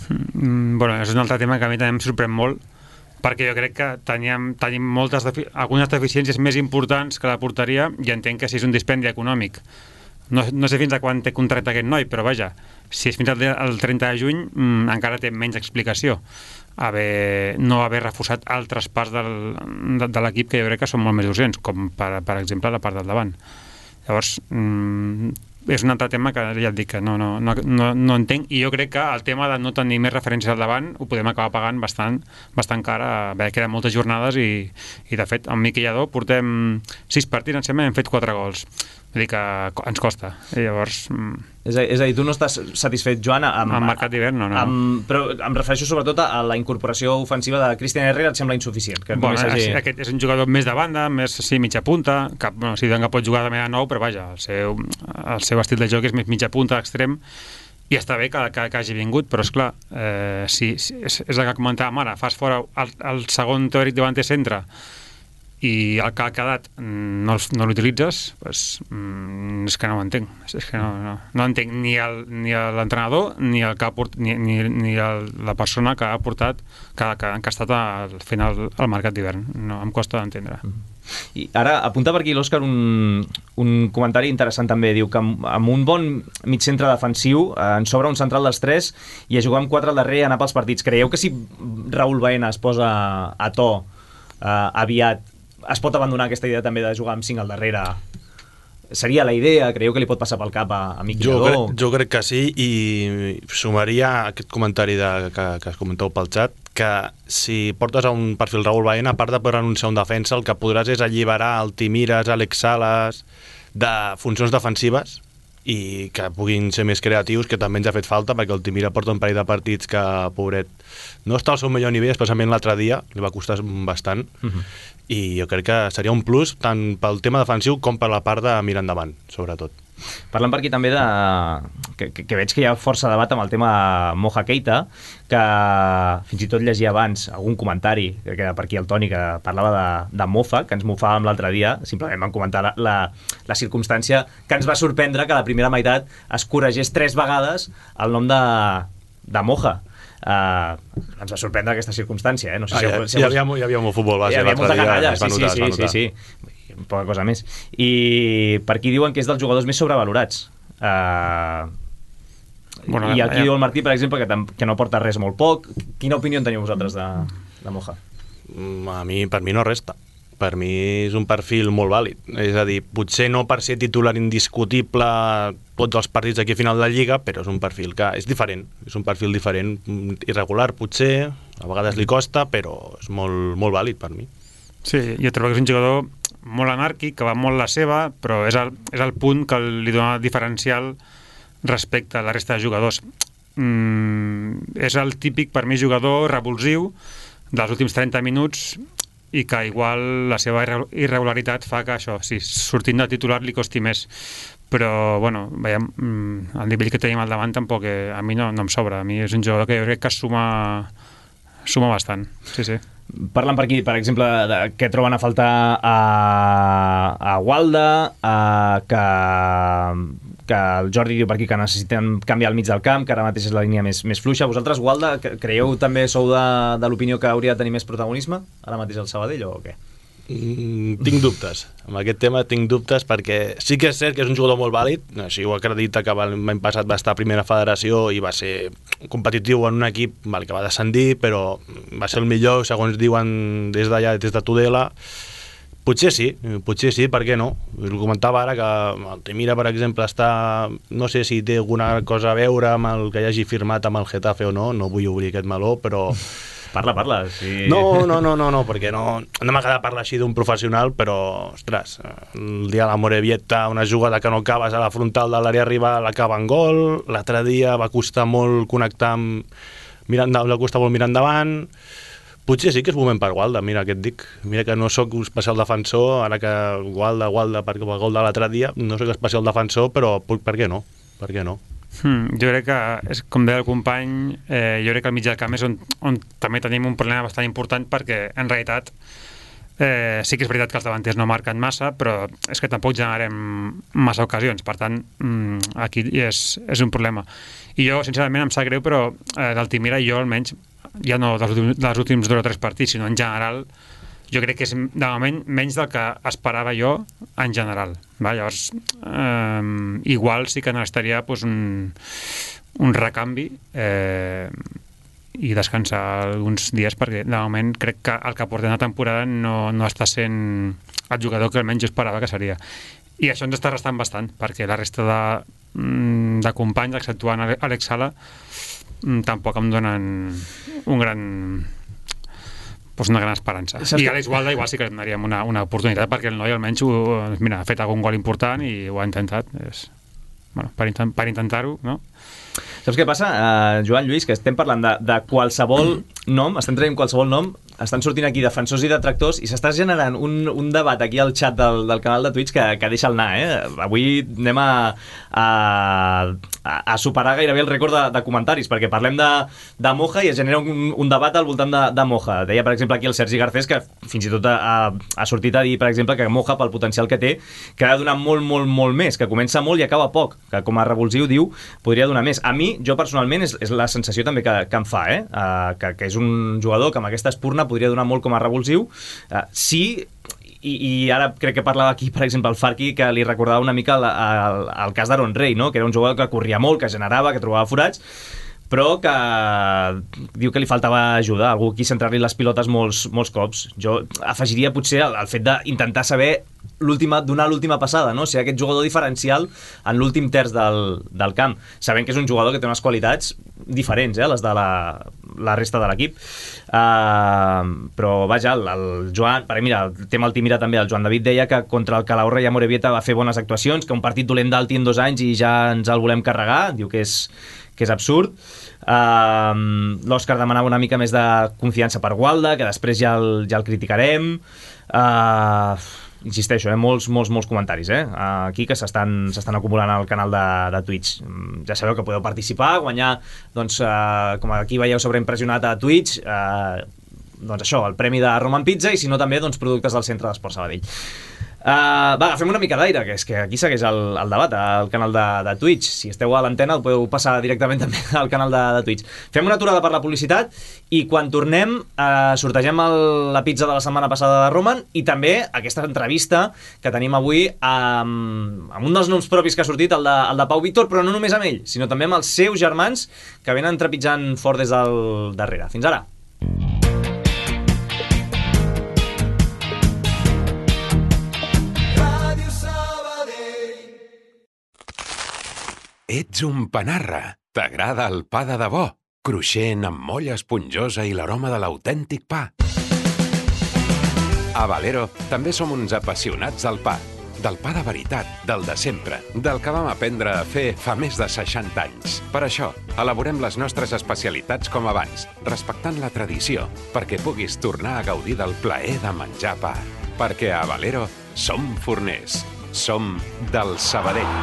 Mm, bueno, és un altre tema que a mi també em sorprèn molt, perquè jo crec que teníem, tenim moltes defi algunes deficiències més importants que la porteria, i entenc que si és un dispendi econòmic. No, no sé fins a quan té contracte aquest noi, però vaja, si és fins al trenta de juny mm, encara té menys explicació. Haver, no haver reforçat altres parts del, de, de l'equip que jo crec que són molt més urgents, com per, per exemple la part del davant. Llavors, mmm, és un altre tema que ja et dic que no, no, no, no, no entenc, i jo crec que el tema de no tenir més referències al davant ho podem acabar pagant bastant, bastant cara. Bé, queden moltes jornades i, i de fet, amb Miquel Lladó portem sis partits, em sembla, i hem fet quatre gols. Vull dir que ens costa. I llavors... És a, és a dir, tu no estàs satisfet, Joan, amb... Amb mercat d'hivern, no, no. Amb, però em refereixo sobretot a la incorporació ofensiva de Christian Herrera, et sembla insuficient? Que bueno, hagi... aquest és un jugador més de banda, més sí, mitja punta, que bueno, si que pot jugar de manera nou, però vaja, el seu, el seu estil de joc és més mitja punta, extrem, i està bé que, que, que hagi vingut, però esclar, eh, si, si, és, és el que comentàvem ara, fas fora el, el segon teòric davanter centre i el que ha quedat no, no l'utilitzes, pues, mm, és que no ho entenc. És que no, no, no entenc ni l'entrenador ni, el que ha port, ni, ni, ni el, la persona que ha portat, que, que, que ha estat al final al mercat d'hivern. No, em costa d'entendre. I ara apunta per aquí l'Òscar un, un comentari interessant també. Diu que amb, amb un bon mig centre defensiu eh, ens sobra un central dels tres i a jugar amb quatre al darrere i anar pels partits. Creieu que si Raúl Baena es posa a to eh, aviat es pot abandonar aquesta idea també de jugar amb cinc al darrere? Seria la idea? Creieu que li pot passar pel cap a, a Miquel jo, Lladó? crec, jo crec que sí, i sumaria aquest comentari de, que, que es comenteu pel xat, que si portes a un perfil Raúl Baena, a part de poder anunciar un defensa, el que podràs és alliberar el Timires, Àlex Sales, de funcions defensives, i que puguin ser més creatius, que també ens ha fet falta, perquè el Timira porta un parell de partits que, pobret, no està al seu millor nivell, especialment l'altre dia, li va costar bastant, uh-huh. I jo crec que seria un plus tant pel tema defensiu com per la part de mirar endavant, sobretot. Parlant per aquí també de... Que, que, que veig que hi ha força debat amb el tema Moja Keita, que fins i tot llegia abans algun comentari, que era per aquí el Toni, que parlava de, de mofa, que ens mofàvem l'altre dia, simplement van comentar la, la, la circumstància que ens va sorprendre que a la primera meitat es corregés tres vegades el nom de, de Moja. Uh, ens va sorprendre aquesta circumstància, eh? No sé si ah, si hi, havia, hi havia molt futbol base, hi havia molta canalla, sí, notar, sí, sí, sí, sí, poca cosa més. I per aquí diuen que és dels jugadors més sobrevalorats. Uh, bueno, i aquí ja. Diu el Martí, per exemple, que, que no porta res molt poc. Quina opinió en teniu vosaltres de, de Moja? A mi, per mi no resta. Per mi és un perfil molt vàlid. És a dir, potser no per ser titular indiscutible tots els partits aquí a final de la Lliga, però és un perfil que és diferent. És un perfil diferent, irregular potser, a vegades li costa, però és molt, molt vàlid per mi. Sí, jo trobo que és un jugador molt anàrquic, que va molt la seva, però és el, és el punt que li dona diferencial respecte a la resta de jugadors. Mm, és el típic, per mi, jugador revulsiu dels últims trenta minuts, i que igual la seva irregularitat fa que això, si sortint de titular li costi més, però bueno, veiem, el nivell que tenim al davant tampoc, eh, a mi no, no em sobra, a mi és un jugador que jo crec que suma suma bastant, sí, sí. Parlen per aquí, per exemple, de, que troben a faltar a, a Walda, a, que, que el Jordi diu per aquí que necessiten canviar el mig del camp, que ara mateix és la línia més, més fluixa. Vosaltres, Walda, creieu també sou de, de l'opinió que hauria de tenir més protagonisme ara mateix al Sabadell o què? Mm, tinc dubtes. Amb aquest tema tinc dubtes perquè sí que és cert que és un jugador molt vàlid, així ho acredita que l'any passat va estar a primera federació i va ser competitiu en un equip val, que va descendir, però va ser el millor, segons diuen des d'allà, des de Tudela. Potser sí, potser sí, per què no? Us ho comentava ara que el Temira, per exemple, està... No sé si té alguna cosa a veure amb el que hagi firmat amb el Getafe o no, no vull obrir aquest meló, però... Parla, parla. Sí. No, no, no, no, no, perquè no, no m'agrada parlar així d'un professional, però, ostres, el dia de la Morevieta, una jugada que no acabes a la frontal de l'àrea rival, l'acaba en gol, l'altre dia va costar molt connectar amb... Mirant, va costar molt mirar endavant... Potser sí que és moment per Gualda, mira què et dic. Mira que no sóc especial defensor, ara que Gualda, Gualda, perquè el gol de l'altre dia, no sóc especial defensor, però per què no? Per què no? Hmm, jo crec que, és, com deia el company, eh, jo crec que al mig del camp és on, on també tenim un problema bastant important perquè, en realitat, eh, sí que és veritat que els davanters no marquen massa, però és que tampoc generem massa ocasions, per tant, mm, aquí és, és un problema. I jo, sincerament, em sap greu, però eh, d'Altimira jo almenys, ja no dels últims, dels últims dos o tres partits, sinó en general, jo crec que és de moment menys del que esperava jo en general. Va? Llavors, eh, igual sí que necessitaria pues, un, un recanvi eh, i descansar alguns dies, perquè de moment crec que el que portem la temporada no, no està sent el jugador que almenys jo esperava que seria. I això ens està restant bastant, perquè la resta de, de companys, exceptuant Àlex Sala, tampoc em donen un gran... pues una gran esperança. I a Àlex Gualda igual sí que li donaríem una, una oportunitat, perquè el noi almenys ho, mira, ha fet algun gol important i ho ha intentat. És, bueno, per, intent, per intentar-ho, no? Saps què passa, uh, Joan, Lluís? Que estem parlant de, de qualsevol nom, estem traient qualsevol nom, estan sortint aquí defensors i detractors i s'està generant un, un debat aquí al xat del, del canal de Twitch que, que deixa el anar, eh? Avui anem a, a, a superar gairebé el rècord de, de comentaris, perquè parlem de, de Moja i es genera un, un debat al voltant de, de Moja. Deia, per exemple, aquí el Sergi Garcés, que fins i tot ha, ha sortit a dir, per exemple, que Moja, pel potencial que té, que ha de donar molt, molt, molt més, que comença molt i acaba poc, que com a revulsiu, diu, podria donar més. A mi, jo personalment, és, és la sensació també que, que em fa, eh? Uh, que, que és un jugador que amb aquesta espurna podria donar molt com a revulsiu. Uh, sí, i, i ara crec que parlava aquí, per exemple, el Farqui, que li recordava una mica el, el, el cas d'Aaron Rey, no? Que era un jugador que corria molt, que generava, que trobava forats, però que diu que li faltava ajuda, algú qui centrar-li les pilotes molts, molts cops. Jo afegiria potser el, el fet d'intentar saber l'última, donar l'última passada, no? Ser aquest jugador diferencial en l'últim terç del, del camp, sabent que és un jugador que té unes qualitats diferents, eh, les de la, la resta de l'equip. Uh, però vaja, el, el Joan, per mira, el tema Altimira també, el Joan David deia que contra el Calahorra i Amorebieta va fer bones actuacions, que un partit dolent d'Alti en dos anys i ja ens el volem carregar, diu que és que és absurd. Uh, L'Òscar demanava una mica més de confiança per Gualda, que després ja el, ja el criticarem. Uh, insisteixo, eh, molts, molts, molts comentaris eh, aquí que s'estan s'estan acumulant al canal de, de Twitch. Ja sabeu que podeu participar, guanyar, doncs, uh, com aquí veieu sobreimpressionat a Twitch, uh, doncs això, el premi de Roman Pizza, i si no també, doncs, productes del Centre d'Esport Sabadell. Uh, va, agafem una mica d'aire, que és que aquí segueix el, el debat al canal de, de Twitch. Si esteu a l'antena el podeu passar directament també al canal de, de Twitch. Fem una aturada per la publicitat i quan tornem uh, sortegem el, la pizza de la setmana passada de Roman i també aquesta entrevista que tenim avui amb, amb un dels noms propis que ha sortit, el de, el de Pau Víctor, però no només amb ell, sinó també amb els seus germans que venen trepitjant fort des del darrere. Fins ara. Ets un panarra. T'agrada el pa de debò, cruixent amb molla esponjosa i l'aroma de l'autèntic pa. A Valero també som uns apassionats del pa. Del pa de veritat, del de sempre, del que vam aprendre a fer fa més de seixanta anys. Per això, elaborem les nostres especialitats com abans, respectant la tradició, perquè puguis tornar a gaudir del plaer de menjar pa. Perquè a Valero som forners. Som del Sabadell.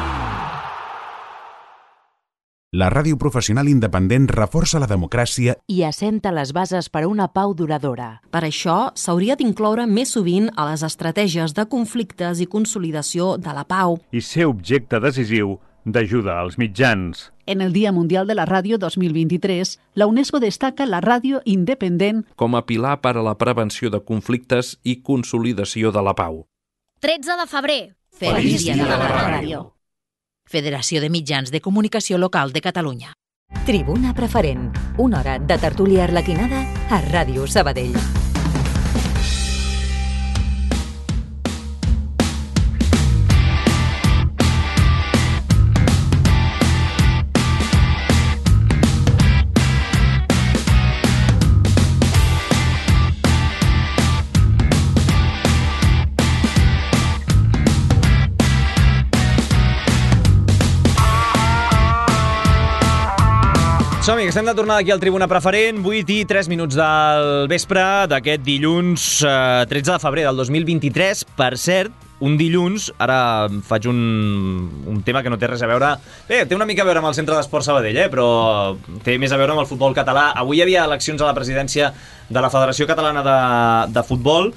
La ràdio professional independent reforça la democràcia i assenta les bases per a una pau duradora. Per això, s'hauria d'incloure més sovint a les estratègies de conflictes i consolidació de la pau. I ser objecte decisiu d'ajuda als mitjans. En el Dia Mundial de la Ràdio dos mil vint-i-tres, la UNESCO destaca la ràdio independent com a pilar per a la prevenció de conflictes i consolidació de la pau. tretze de febrer. Feliç Dia de la Ràdio. Federació de Mitjans de Comunicació Local de Catalunya. Tribuna Preferent, una hora de tertúlia arlequinada a Ràdio Sabadell. Som-hi, estem de tornada aquí al Tribuna Preferent, vuit i tres minuts del vespre d'aquest dilluns eh, tretze de febrer del dos mil vint-i-tres. Per cert, un dilluns, ara faig un, un tema que no té res a veure... Bé, té una mica a veure amb el Centre d'Esport Sabadell, eh, però té més a veure amb el futbol català. Avui hi havia eleccions a la presidència de la Federació Catalana de, de Futbol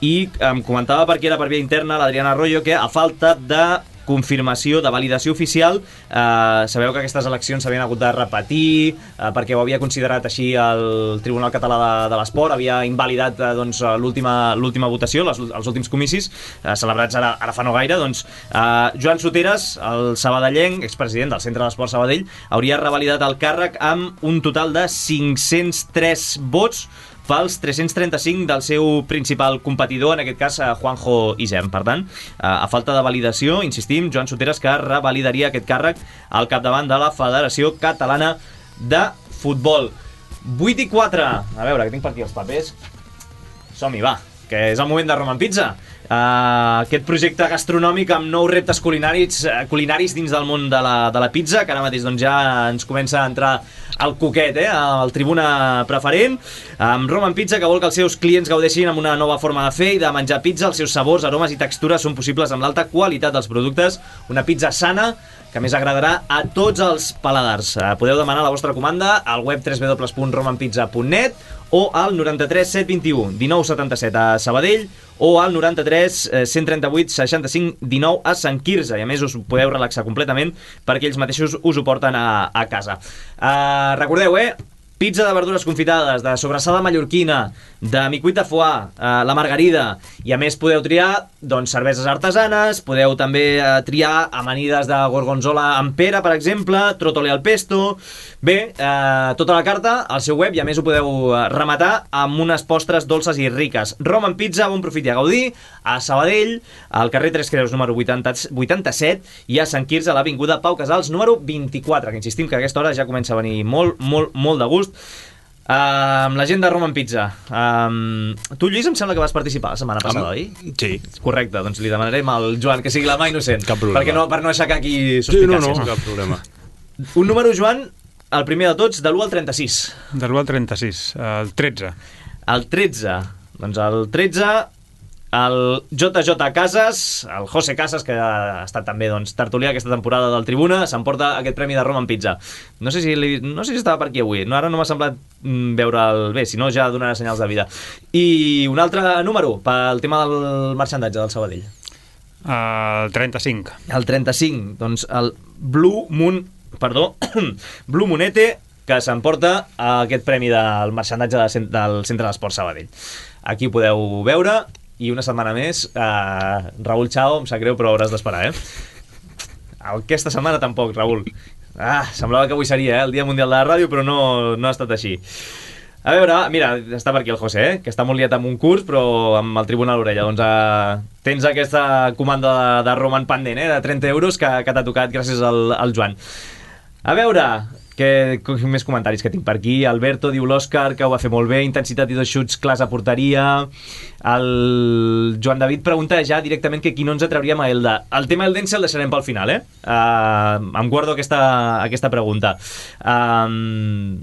i em comentava per aquí, era per via interna, l'Adriana Arroyo, que a falta de confirmació, de validació oficial, eh, sabeu que aquestes eleccions s'havien hagut de repetir eh, perquè ho havia considerat així el Tribunal Català de, de l'Esport, havia invalidat eh, doncs, l'última l'última votació, les, els últims comicis eh, celebrats ara, ara fa no gaire. Doncs, eh, Joan Soteres, el sabadellenc, expresident del Centre d'Esport Sabadell, hauria revalidat el càrrec amb un total de cinc-cents tres vots pels tres-cents trenta-cinc del seu principal competidor, en aquest cas Juanjo Isern. Per tant, a falta de validació, insistim, Joan Soteras, que revalidaria aquest càrrec al capdavant de la Federació Catalana de Futbol. vuit i quatre. A veure, que tinc per aquí els papers. Som-hi, va, que és el moment de Roman Pizza. Uh, aquest projecte gastronòmic amb nous reptes culinaris, uh, culinaris dins del món de la, de la pizza, que ara mateix doncs, ja ens comença a entrar el coquet, eh, al tribuna preferent, amb Roman Pizza, que vol que els seus clients gaudeixin amb una nova forma de fer i de menjar pizza. Els seus sabors, aromes i textures són possibles amb l'alta qualitat dels productes. Una pizza sana que més agradarà a tots els paladars. Uh, podeu demanar la vostra comanda al web w w w punt roman pizza punt net o al noranta-tres set vint-i-u dinou setanta-set a Sabadell o al noranta-tres cent trenta-vuit seixanta-cinc dinou a Sant Quirze. I a més us podeu relaxar completament perquè ells mateixos us ho porten a, a casa. Uh, recordeu, eh? Pizza de verdures confitades, de sobrassada mallorquina, de micuita foie, eh, la margarida, i a més podeu triar doncs, cerveses artesanes, podeu també eh, triar amanides de gorgonzola amb pera, per exemple, trotole al pesto. Bé, eh, tota la carta al seu web, i a més ho podeu rematar amb unes postres dolces i riques. Roman Pizza, bon profit i a gaudir, a Sabadell, al carrer Tres Creus número vuitanta, vuitanta-set, i a Sant Quirze, a l'avinguda Pau Casals número vint-i-quatre, que insistim que a aquesta hora ja comença a venir molt, molt, molt de gust. Uh, amb la gent de Roman Pizza. Um, tu, Lluís, em sembla que vas participar la setmana passada, oi? Sí. Correcte, doncs li demanarem al Joan que sigui la mà innocent. Cap problema. Perquè no, per no aixecar aquí suspicàcies. Sí, no, no, cap problema. Un número, Joan, el primer de tots, de l'u al trenta-sis. De l'u al trenta-sis, el tretze. El tretze. Doncs el tretze... El J J Casas, el José Casas, que ha estat també doncs, tertulià aquesta temporada del Tribuna, s'emporta aquest premi de Roman Pizza. No sé si, li, no sé si estava per aquí avui, no, ara no m'ha semblat mm, veure'l bé, si no ja donarà senyals de vida. I un altre número pel tema del marxandatge del Sabadell. El trenta-cinc. El trenta-cinc, doncs el Blue Moon, perdó, Blue Moonete, que s'emporta aquest premi del marxandatge del Centre d'Esport Sabadell. Aquí ho podeu veure. I una setmana més, uh, Raül Chao, em sap greu, però hauràs d'esperar, eh? Aquesta setmana tampoc, Raül. Ah, semblava que avui seria, eh, el Dia Mundial de la Ràdio, però no, no ha estat així. A veure, mira, està per aquí el José, eh, que està molt liat amb un curs, però amb el tribunal a l'orella. Doncs uh, tens aquesta comanda de, de Roman pendent, eh, de trenta euros, que, que t'ha tocat gràcies al, al Joan. A veure... Que, més comentaris que tinc per aquí. Alberto diu l'Òscar, que ho va fer molt bé, intensitat i dos xuts clars a porteria. El Joan David pregunta ja directament que qui no ens atrauríem a Elda. El tema Eldense el deixarem pel final, eh? Uh, em guardo aquesta, aquesta pregunta. Uh,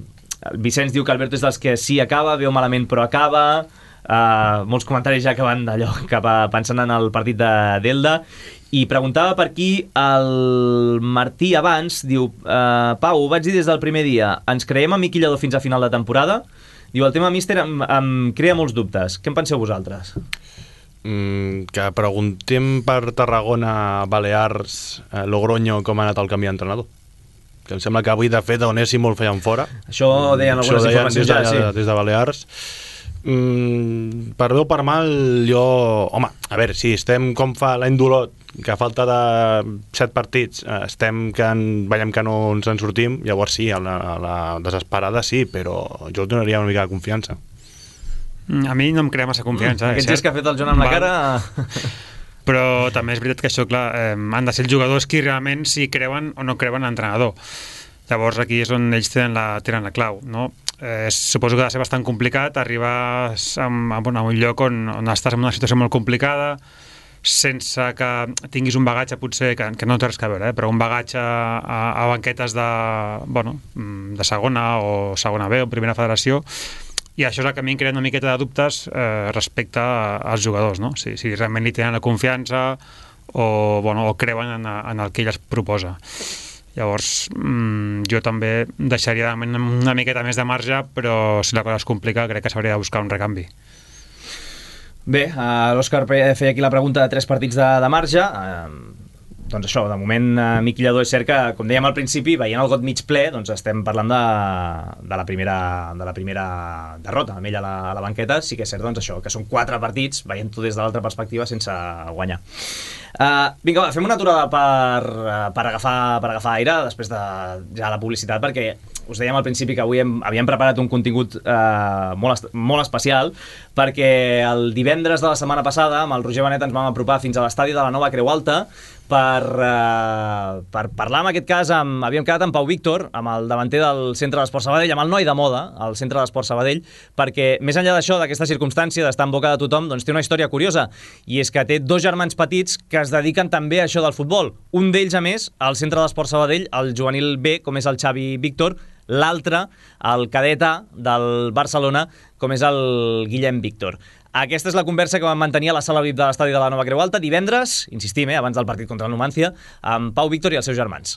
Vicenç diu que Alberto és dels que sí acaba, veu malament però acaba. Uh, molts comentaris ja que van d'allò cap a, pensant en el partit de d'Elda. I preguntava per aquí el Martí abans, diu uh, Pau, ho vaig dir des del primer dia, ens creiem a Miqui Lladó fins a final de temporada? Diu, el tema míster em, em crea molts dubtes. Què en penseu vosaltres? Mm, que preguntem per Tarragona, Balears, eh, Logroño, com ha anat el canvi d'entrenador. Que em sembla que avui, de fet, Onéssim el feien fora. Això deien algunes Això deien informacions des de, ja, sí. Des de Balears. Mm, per bé o per mal, jo... Home, a veure, si estem com fa l'any d'Olot, que a falta de set partits estem que en, veiem que no ens en sortim, llavors sí, a la, a la desesperada sí, però jo donaria una mica de confiança. A mi no em crea massa confiança. Aquest gest que ha fet el Joan amb la cara... Però també és veritat que això, clar, eh, han de ser els jugadors qui realment si creuen o no creuen en l'entrenador. Llavors aquí és on ells tenen la, tenen la clau, no? Eh, suposo que ha de ser bastant complicat arribar a, a, a un lloc on, on estàs en una situació molt complicada, sense que tinguis un bagatge potser que, que no té res a veure, eh? Però un bagatge a, a banquetes de, bueno, de segona o segona B o primera federació, i això és el que a mi em crea una miqueta de dubtes eh, respecte als jugadors, no? Si, si realment li tenen la confiança o, bueno, o creuen en, en el que ell es proposa. Llavors mmm, jo també deixaria una miqueta més de marge, però si la cosa es complica crec que s'hauria de buscar un recanvi. Bé, uh, l'Òscar feia aquí la pregunta de tres partits de, de marge. Uh, doncs això, de moment uh, Miqui Lladó és cert que, com dèiem al principi, veient el got mig ple, doncs estem parlant de, de, la, primera, de la primera derrota amb ell a la, a la banqueta. Sí que és cert, doncs això, que són quatre partits, veient-ho des de l'altra perspectiva, sense guanyar. Uh, vinga, va, fem una aturada per, uh, per, agafar, per agafar aire després de ja la publicitat, perquè us dèiem al principi que avui hem, havíem preparat un contingut eh, molt, molt especial, perquè el divendres de la setmana passada amb el Roger Benet ens vam apropar fins a l'estadi de la Nova Creu Alta per, eh, per parlar, en aquest cas, amb, havíem quedat amb Pau Víctor, amb el davanter del Centre d'Esport Sabadell, amb el noi de moda, al Centre d'Esport Sabadell, perquè més enllà d'això, d'aquesta circumstància d'estar en boca de tothom, doncs té una història curiosa, i és que té dos germans petits que es dediquen també a això del futbol. Un d'ells, a més, al Centre d'Esport Sabadell, el juvenil B, com és el Xavi Víctor, l'altre, el cadet A del Barcelona, com és el Guillem Víctor. Aquesta és la conversa que vam mantenir a la sala V I P de l'estadi de la Nova Creu Alta divendres, insistim, eh, abans del partit contra el Numancia, amb Pau Víctor i els seus germans.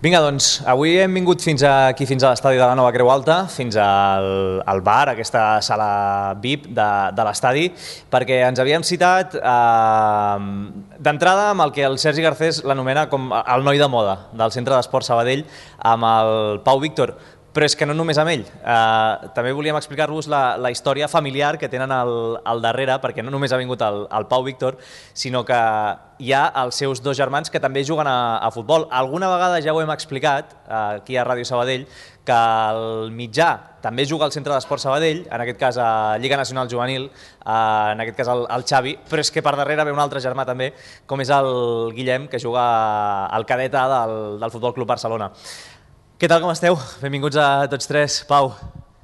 Vinga, doncs, avui hem vingut fins aquí, fins a l'estadi de la Nova Creu Alta, fins al, al bar, aquesta sala V I P de, de l'estadi, perquè ens havíem citat eh, d'entrada amb el que el Sergi Garcés l'anomena com el noi de moda del Centre d'Esport Sabadell, amb el Pau Víctor. Però és que no només amb ell, eh, també volíem explicar-vos la, la història familiar que tenen al, al darrere, perquè no només ha vingut el, el Pau Víctor, sinó que hi ha els seus dos germans que també juguen a, a futbol. Alguna vegada ja ho hem explicat, eh, aquí a Ràdio Sabadell, que el mitjà també juga al Centre d'Esport Sabadell, en aquest cas a Lliga Nacional Juvenil, eh, en aquest cas el, el Xavi, però és que per darrere ve un altre germà també, com és el Guillem, que juga al cadet A del, del Futbol Club Barcelona. Què tal, com esteu? Benvinguts a tots tres. Pau.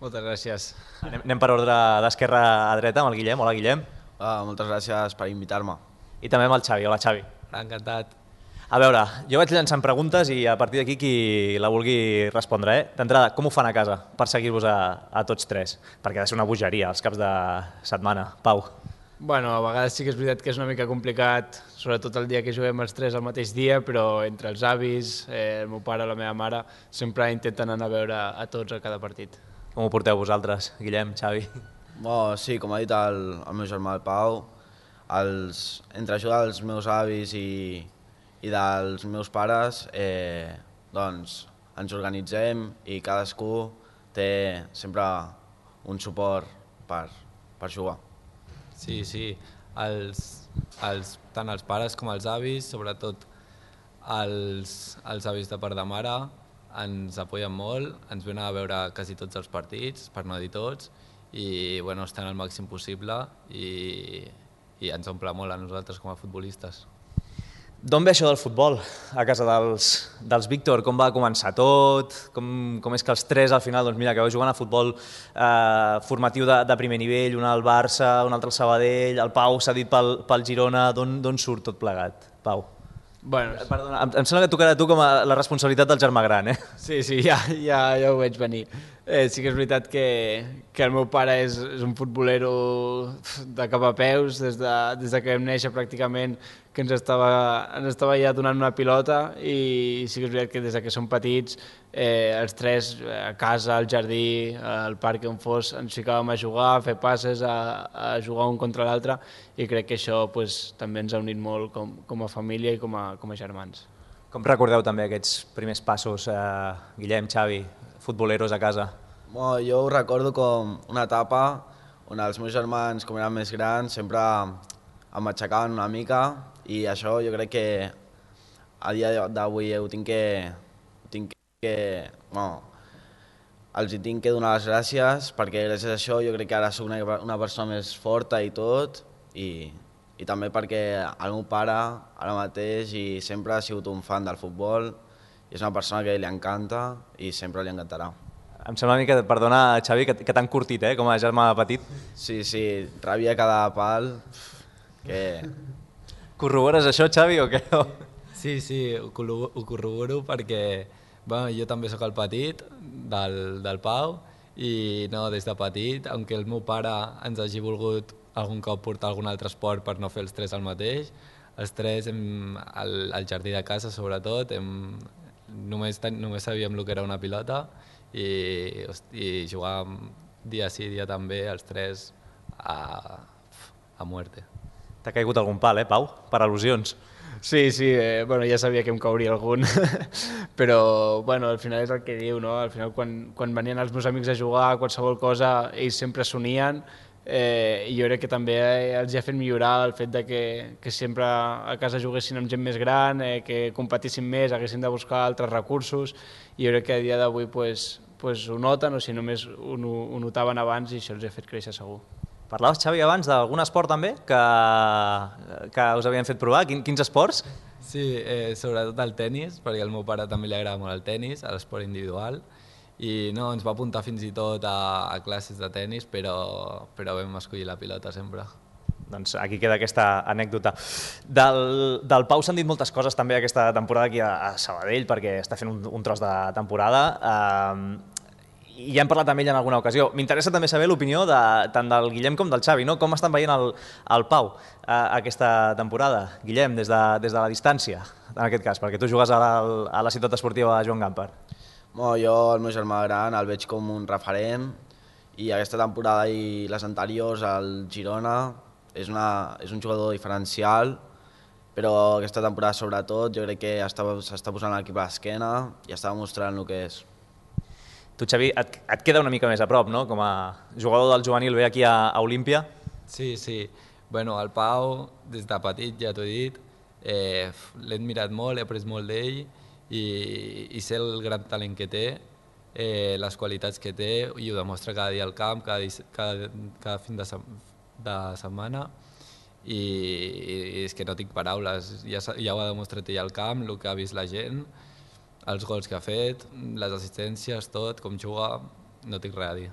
Moltes gràcies. Anem, anem per ordre d'esquerra a dreta amb el Guillem. Hola, Guillem. Ah, moltes gràcies per invitar-me. I també amb el Xavi. Hola, Xavi. Encantat. A veure, jo vaig llançant preguntes i a partir d'aquí qui la vulgui respondre. Eh? D'entrada, com ho fan a casa per seguir-vos a, a tots tres? Perquè ha de ser una bogeria els caps de setmana. Pau. Bueno, a vegades sí que és veritat que és una mica complicat, sobretot el dia que juguem els tres al mateix dia, però entre els avis, eh, el meu pare i la meva mare, sempre intenten anar a veure a tots a cada partit. Com ho porteu vosaltres, Guillem, Xavi? Bueno, sí, com ha dit el, el meu germà, el Pau, els, entre ajuda dels meus avis i, i dels meus pares, eh, doncs ens organitzem i cadascú té sempre un suport per, per jugar. Sí, sí, els, els, tant els pares com els avis, sobretot els, els avis de part de mare, ens apoyen molt, ens venen a veure quasi tots els partits, per no dir tots, i bueno, estan al màxim possible i, i ens omple molt a nosaltres com a futbolistes. D'on ve això del futbol a casa dels, dels Víctor? Com va començar tot? Com, com és que els tres al final, doncs mira, que vau jugant a futbol eh, formatiu de, de primer nivell, un al Barça, un altre al Sabadell, el Pau s'ha dit pel, pel Girona, d'on surt tot plegat, Pau? Bueno, Perdona, em, em sembla que tocarà a tu com a la responsabilitat del germà gran, eh? Sí, sí, ja, ja, ja ho veig venir. Eh, sí que és veritat que, que el meu pare és, és un futbolero de cap a peus, des de, des de que vam néixer pràcticament, que ens estava, ens estava ja donant una pilota, i sí que és veritat que des que som petits, eh, els tres, a casa, al jardí, al parc on fos, ens ficàvem a jugar, a fer passes, a, a jugar un contra l'altre, i crec que això pues, també ens ha unit molt com, com a família i com a, com a germans. Com recordeu també aquests primers passos, eh, Guillem, Xavi, futboleros a casa? Bueno, jo ho recordo com una etapa on els meus germans, com eren més grans, sempre em aixecaven una mica, i això jo crec que a dia d'avui ho tinc que... Ho tinc que bueno, els hi tinc que donar les gràcies, perquè gràcies a això jo crec que ara soc una, una persona més forta i tot, i, i també perquè el meu pare ara mateix i sempre ha sigut un fan del futbol, i és una persona que li encanta i sempre li encantarà. Em sembla a mi que, perdona, Xavi, que, que t'han curtit, eh, com a germà petit. Sí, sí, rebia cada pal, que... Corrobores això, Xavi, o què? Sí, sí, ho corroboro perquè bueno, jo també sóc el petit del, del Pau, i no, des de petit, aunque el meu pare ens hagi volgut algun cop portar algun altre esport per no fer els tres el mateix, els tres, hem, al, al jardí de casa sobretot, hem, només, ten, només sabíem el que era una pilota, i, i jugàvem dia sí, dia també, els tres a, a muerte. T'ha caigut algun pal, eh, Pau? Per al·lusions. Sí, sí, eh, bueno, ja sabia que em cauria algun, però bueno, al final és el que diu, no? Al final quan, quan venien els meus amics a jugar, qualsevol cosa, ells sempre s'unien, Eh, I jo crec que també els ha fet millorar el fet de que, que sempre a casa juguessin amb gent més gran, eh, que competissin més, haguessin de buscar altres recursos, i jo crec que a dia d'avui pues, pues ho noten, o si només ho, ho notaven abans, i això els ha fet créixer segur. Parlaves, Xavi, abans d'algun esport també que, que us havien fet provar. Quin, quins esports? Sí, eh, sobretot el tennis, perquè al meu pare també li agrada molt el tennis, l'esport individual, i no, ens va apuntar fins i tot a, a classes de tennis, però, però vam escollir la pilota sempre. Doncs aquí queda aquesta anècdota. Del, del Pau s'han dit moltes coses també aquesta temporada aquí a, a Sabadell, perquè està fent un, un tros de temporada. Eh, i ja hem parlat amb ell en alguna ocasió. M'interessa també saber l'opinió de, tant del Guillem com del Xavi, no? Com estan veient el, el Pau eh, aquesta temporada? Guillem, des de, des de la distància, en aquest cas, perquè tu jugues a la, a la ciutat esportiva Joan Gamper. Bueno, jo, el meu germà gran, el veig com un referent, i aquesta temporada i les anteriors al Girona és, una, és un jugador diferencial, però aquesta temporada sobretot jo crec que s'està posant l'equip a l'esquena i està demostrant el que és. Tu, Xavi, et, et queda una mica més a prop, no?, com a jugador del juvenil B aquí a, a Olímpia. Sí, sí. Bueno, el Pau, des de petit, ja t'ho he dit, eh, l'he admirat molt, he après molt d'ell, i, i sé el gran talent que té, eh, les qualitats que té, i ho demostra cada dia al camp, cada, cada, cada fin de, de setmana, i, i és que no tinc paraules. Ja, ja ho ha demostrat ell al camp, el que ha vist la gent, els gols que ha fet, les assistències, tot, com juga, no tinc res a dir.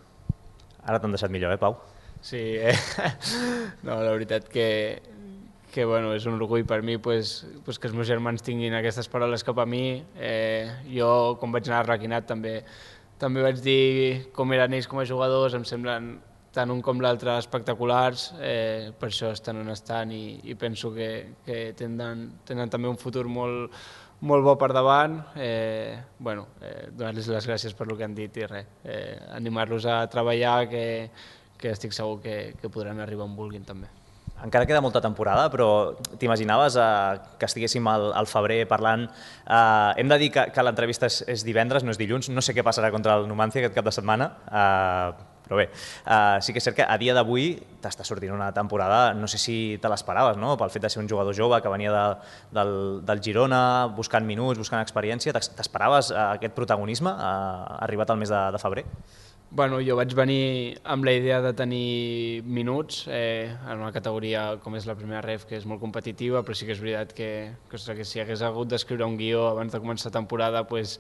Ara t'han deixat millor, eh, Pau? Sí, eh? No, la veritat que, que bueno, és un orgull per mi pues, pues que els meus germans tinguin aquestes paraules cap a mi. Eh, jo, quan vaig anar a Requinat, també, també vaig dir com eren ells com a jugadors, em semblen tant un com l'altre espectaculars, eh, per això estan on estan, i, i penso que, que tenen, tenen també un futur molt, molt bo per davant. Eh, bueno, eh, donar-los les gràcies per el que han dit i res, eh, animar-los a treballar, que, que estic segur que, que podran arribar on vulguin també. Encara queda molta temporada, però t'imaginaves eh, que estiguéssim al, al febrer parlant. Eh, hem de dir que, que l'entrevista és, és divendres, no és dilluns, no sé què passarà contra el Numancia aquest cap de setmana, eh, però bé, uh, sí que és cert que a dia d'avui t'està sortint una temporada, no sé si te l'esperaves, no?, pel fet de ser un jugador jove que venia de, del, del Girona, buscant minuts, buscant experiència. T'esperaves uh, aquest protagonisme uh, arribat al mes de, de febrer? Bueno, jo vaig venir amb la idea de tenir minuts eh, en una categoria com és la primera ref, que és molt competitiva, però sí que és veritat que, que, ostres, que si hagués hagut d'escriure un guió abans de començar la temporada, pues,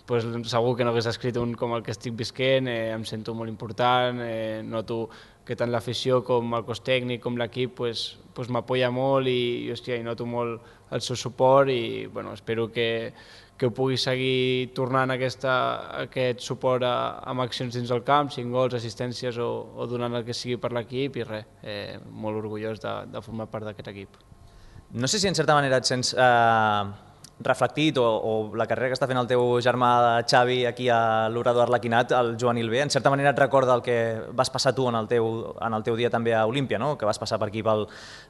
pues segur que no hagués escrit un com el que estic visquent. Eh, em sento molt important, eh, noto que tant l'afició com el cos tècnic com l'equip pues, pues m'apoya molt, i, i, hòstia, i noto molt el seu suport, i bueno, espero que, que pugui seguir tornant aquesta, aquest suport a, amb accions dins del camp, cinc gols, assistències o, o donant el que sigui per l'equip, i res, eh, molt orgullós de, de formar part d'aquest equip. No sé si en certa manera et sents eh, reflectit, o, o la carrera que està fent el teu germà Xavi aquí a l'Orador Arlequinat, al juvenil B, en certa manera et recorda el que vas passar tu en el teu, en el teu dia també a Olímpia, no?, que vas passar per aquí pel,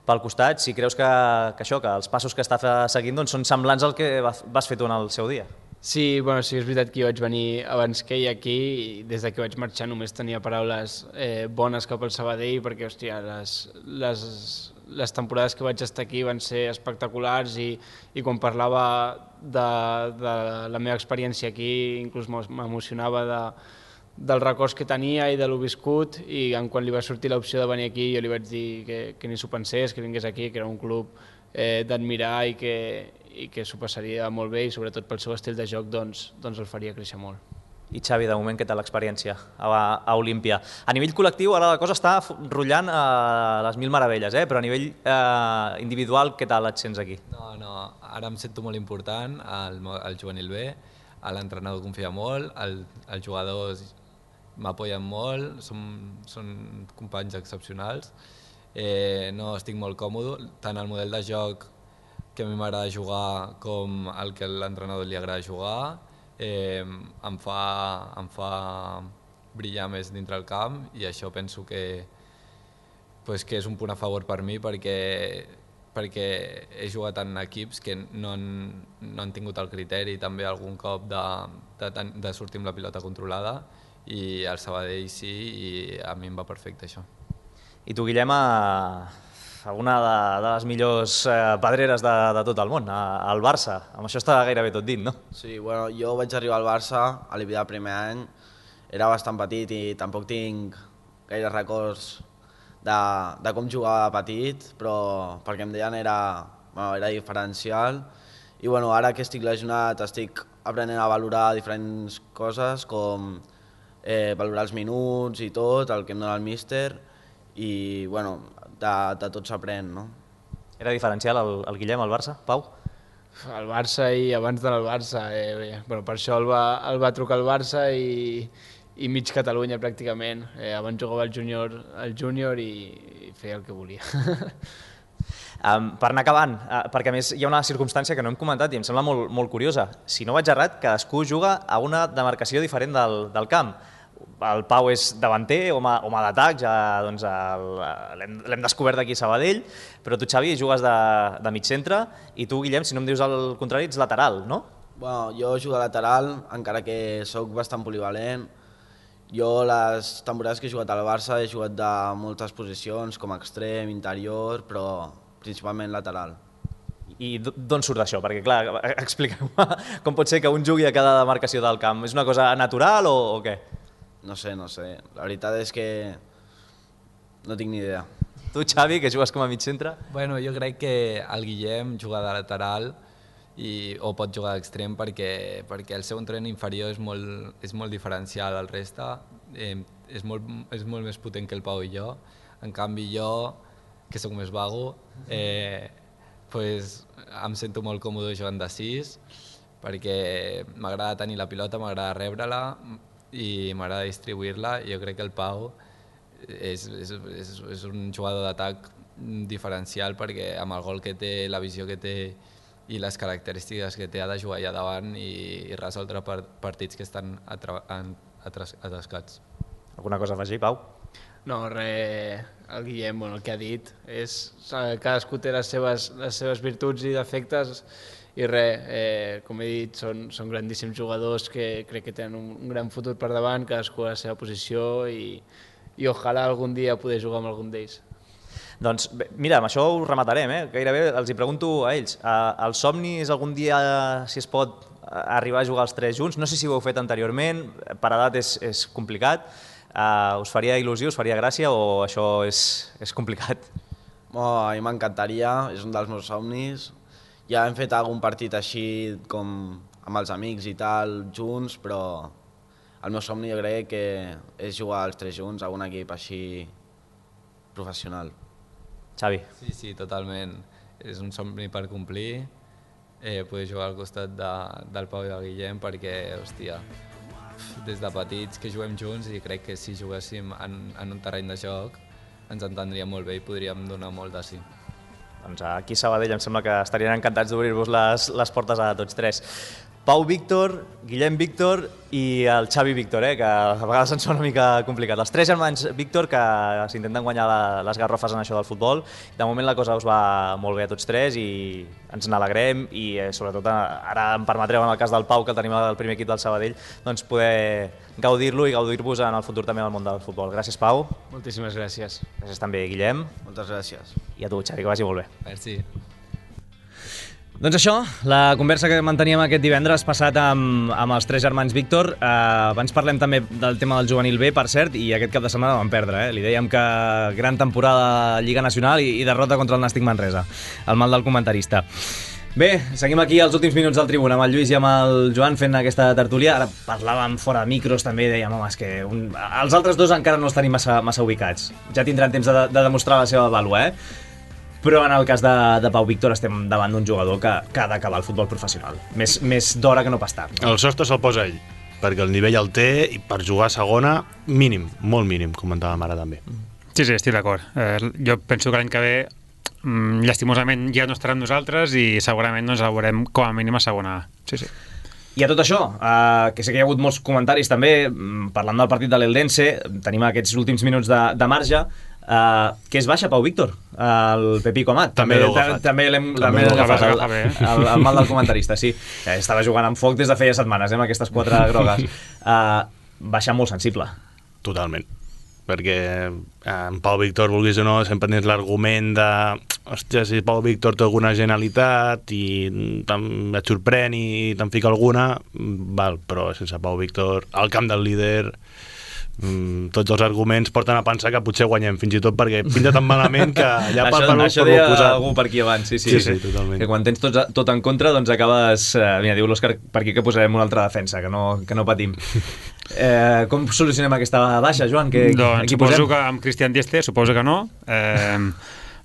pel costat. Si creus que, que això, que els passos que està seguint doncs, són semblants al que vas fer tu en el seu dia. Sí, bueno, sí, és veritat que jo vaig venir abans que ell aquí, i des que vaig marxar només tenia paraules eh, bones cap al Sabadell, perquè, hòstia, les, les, les temporades que vaig estar aquí van ser espectaculars, i, i quan parlava de, de la meva experiència aquí, inclús m'emocionava de, dels records que tenia i de lo viscut, i quan li va sortir l'opció de venir aquí jo li vaig dir que, que ni s'ho pensés, que vingués aquí, que era un club eh, d'admirar, i que, i que s'ho passaria molt bé, i sobretot pel seu estil de joc doncs, doncs el faria créixer molt. I Xavi, de moment, què tal l'experiència a, a Olímpia? A nivell col·lectiu, ara la cosa està rotllant a les mil meravelles, eh? Però a nivell eh, individual, què tal et sents aquí? No, no, ara em sento molt important al, al juvenil B, l'entrenador confia molt, el, els jugadors m'apoyen molt, són, són companys excepcionals, eh, no estic molt còmode, tant el model de joc que a mi m'agrada jugar com el que a l'entrenador li agrada jugar, eh, em, fa, em fa brillar més dintre el camp, i això penso que, pues, que és un punt a favor per mi, perquè, perquè he jugat en equips que no han, no han tingut el criteri també algun cop de, de, de sortir amb la pilota controlada, i el Sabadell sí, i a mi em va perfecte això. I tu, Guillem, a, a una de, de les millors eh, pedreres de, de tot el món, a, al Barça. Amb això està gairebé tot dit, no? Sí, bueno, jo vaig arribar al Barça a l'I B A primer any, era bastant petit i tampoc tinc gaire records de, de com jugava petit, però perquè em deien era, bueno, era diferencial. I bueno, ara que estic lesionat estic aprenent a valorar diferents coses, com eh, valorar els minuts i tot, el que em dona el míster, i bueno, de, de tot s'aprèn, no? Era diferencial el, el Guillem al Barça, Pau? El Barça i abans del Barça, eh, bé, bueno, per això el va, el va trucar el Barça i, i mig Catalunya pràcticament. Eh, abans jugava al júnior, al júnior i, i feia el que volia. Um, per anar acabant, uh, perquè a més hi ha una circumstància que no hem comentat i em sembla molt, molt curiosa. Si no vaig errat, cadascú juga a una demarcació diferent del, del camp. El Pau és davanter, home, home d'atac, ja doncs, l'hem descobert aquí a Sabadell, però tu, Xavi, jugues de, de mig centre i tu, Guillem, si no em dius el contrari, ets lateral, no? Bueno, jo jugo de lateral, encara que sóc bastant polivalent. Jo les temporades que he jugat al Barça he jugat de moltes posicions, com extrem, interior, però principalment lateral. I d'on surt això? Perquè, clar, expliqueu-me com pot ser que un jugui a cada demarcació del camp. És una cosa natural o, o què? No sé, no sé. La veritat és que no tinc ni idea. Tu, Xavi, que jugues com a mig centre? Bueno, jo crec que el Guillem juga de lateral i, o pot jugar d'extrem perquè, perquè el seu entren inferior és molt, és molt diferencial al reste, eh, és, molt, és molt més potent que el Pau i jo. En canvi, jo, que sóc més vago, eh, pues, em sento molt còmode jugant de sis, perquè m'agrada tenir la pilota, m'agrada rebre-la i m'agrada distribuir-la. Jo crec que el Pau és, és, és, és un jugador d'atac diferencial perquè amb el gol que té, la visió que té i les característiques que té ha de jugar allà davant i, i resoldre partits que estan atascats. Alguna cosa a afegir, Pau? No, res, el Guillem, bueno, el que ha dit és cadascú té les seves, les seves virtuts i defectes i res, eh, com he dit, són, són grandíssims jugadors que crec que tenen un, un gran futur per davant, cadascú a la seva posició i, i ojalà algun dia poder jugar amb algun d'ells. Doncs bé, mira, amb això ho rematarem, eh? Gairebé els hi pregunto a ells. Uh, el somni és algun dia, si es pot, arribar a jugar els tres junts? No sé si ho heu fet anteriorment, per edat és, és complicat. Uh, us faria il·lusió, us faria gràcia o això és, és complicat? Oh, a mi m'encantaria, és un dels meus somnis. Ja hem fet algun partit així com amb els amics i tal, junts, però el meu somni jo crec que és jugar els tres junts a un equip així professional. Xavi. Sí, sí, totalment. És un somni per complir, eh, poder jugar al costat de, del Pau i del Guillem perquè, hòstia, des de petits que juguem junts i crec que si juguéssim en, en un terreny de joc ens entendríem molt bé i podríem donar molt de sí. Doncs aquí a Sabadell em sembla que estarien encantats d'obrir-vos les, les portes a tots tres. Pau Víctor, Guillem Víctor i el Xavi Víctor, eh, que a vegades ens sona una mica complicat. Els tres germans Víctor que s'intenten guanyar la, les garrofes en això del futbol. De moment la cosa us va molt bé a tots tres i ens n'alegrem i eh, sobretot ara em permetreu en el cas del Pau, que el tenim al primer equip del Sabadell, doncs poder gaudir-lo i gaudir-vos en el futur també en el món del futbol. Gràcies, Pau. Moltíssimes gràcies. Gràcies també, Guillem. Moltes gràcies. I a tu, Xavi, que vagi molt bé. Merci. Doncs això, la conversa que manteníem aquest divendres passat amb, amb els tres germans Víctor. Eh, abans parlem també del tema del juvenil B, per cert, i aquest cap de setmana vam perdre. Eh? Li dèiem que gran temporada a Lliga Nacional i, i derrota contra el Nàstic Manresa. El mal del comentarista. Bé, seguim aquí als últims minuts del Tribuna amb el Lluís i amb el Joan fent aquesta tertúlia. Ara parlàvem fora de micros també i dèiem, home, és que un... els altres dos encara no els tenim massa, massa ubicats. Ja tindran temps de, de demostrar la seva vàlua, eh? Però en el cas de, de Pau Víctor estem davant d'un jugador que, que ha d'acabar el futbol professional. Més, més d'hora que no pas tard. No? El sostre se'l posa ell, perquè el nivell el té i per jugar a segona, mínim, molt mínim, comentàvem ara també. Sí, sí, estic d'acord. Eh, jo penso que l'any que ve, mm, llastimosament, ja no estarà amb nosaltres i segurament doncs, el veurem com a mínim a segona A. Sí, sí. I a tot això, eh, que sé que hi ha hagut molts comentaris també, parlant del partit de l'Eldense, tenim aquests últims minuts de, de marge. Uh, que es baixa Pau Víctor, el Pepico Amat també l'heu agafat, també l'hem agafat el, el, el mal del comentarista, sí. Estava jugant amb foc des de feia setmanes, eh, amb aquestes quatre grogues. Uh, baixa molt sensible. Totalment. perquè en Pau Víctor, vulguis o no, sempre tens l'argument de hòstia, si Pau Víctor té alguna genialitat i et sorprèn i te'n fica alguna, val, però sense Pau Víctor, al camp del líder, Mm, tots els arguments porten a pensar que potser guanyem, fins i tot perquè pinta tan malament que ja per això, per això deia algú per aquí abans, sí, sí, sí, sí, totalment. Que quan tens tot, tot en contra doncs acabes, eh, mira, diu l'Òscar per aquí que posarem una altra defensa, que no, que no patim. Eh, com solucionem aquesta baixa, Joan? Que, doncs aquí suposo posem? que amb Cristian Dieste suposo que no, eh,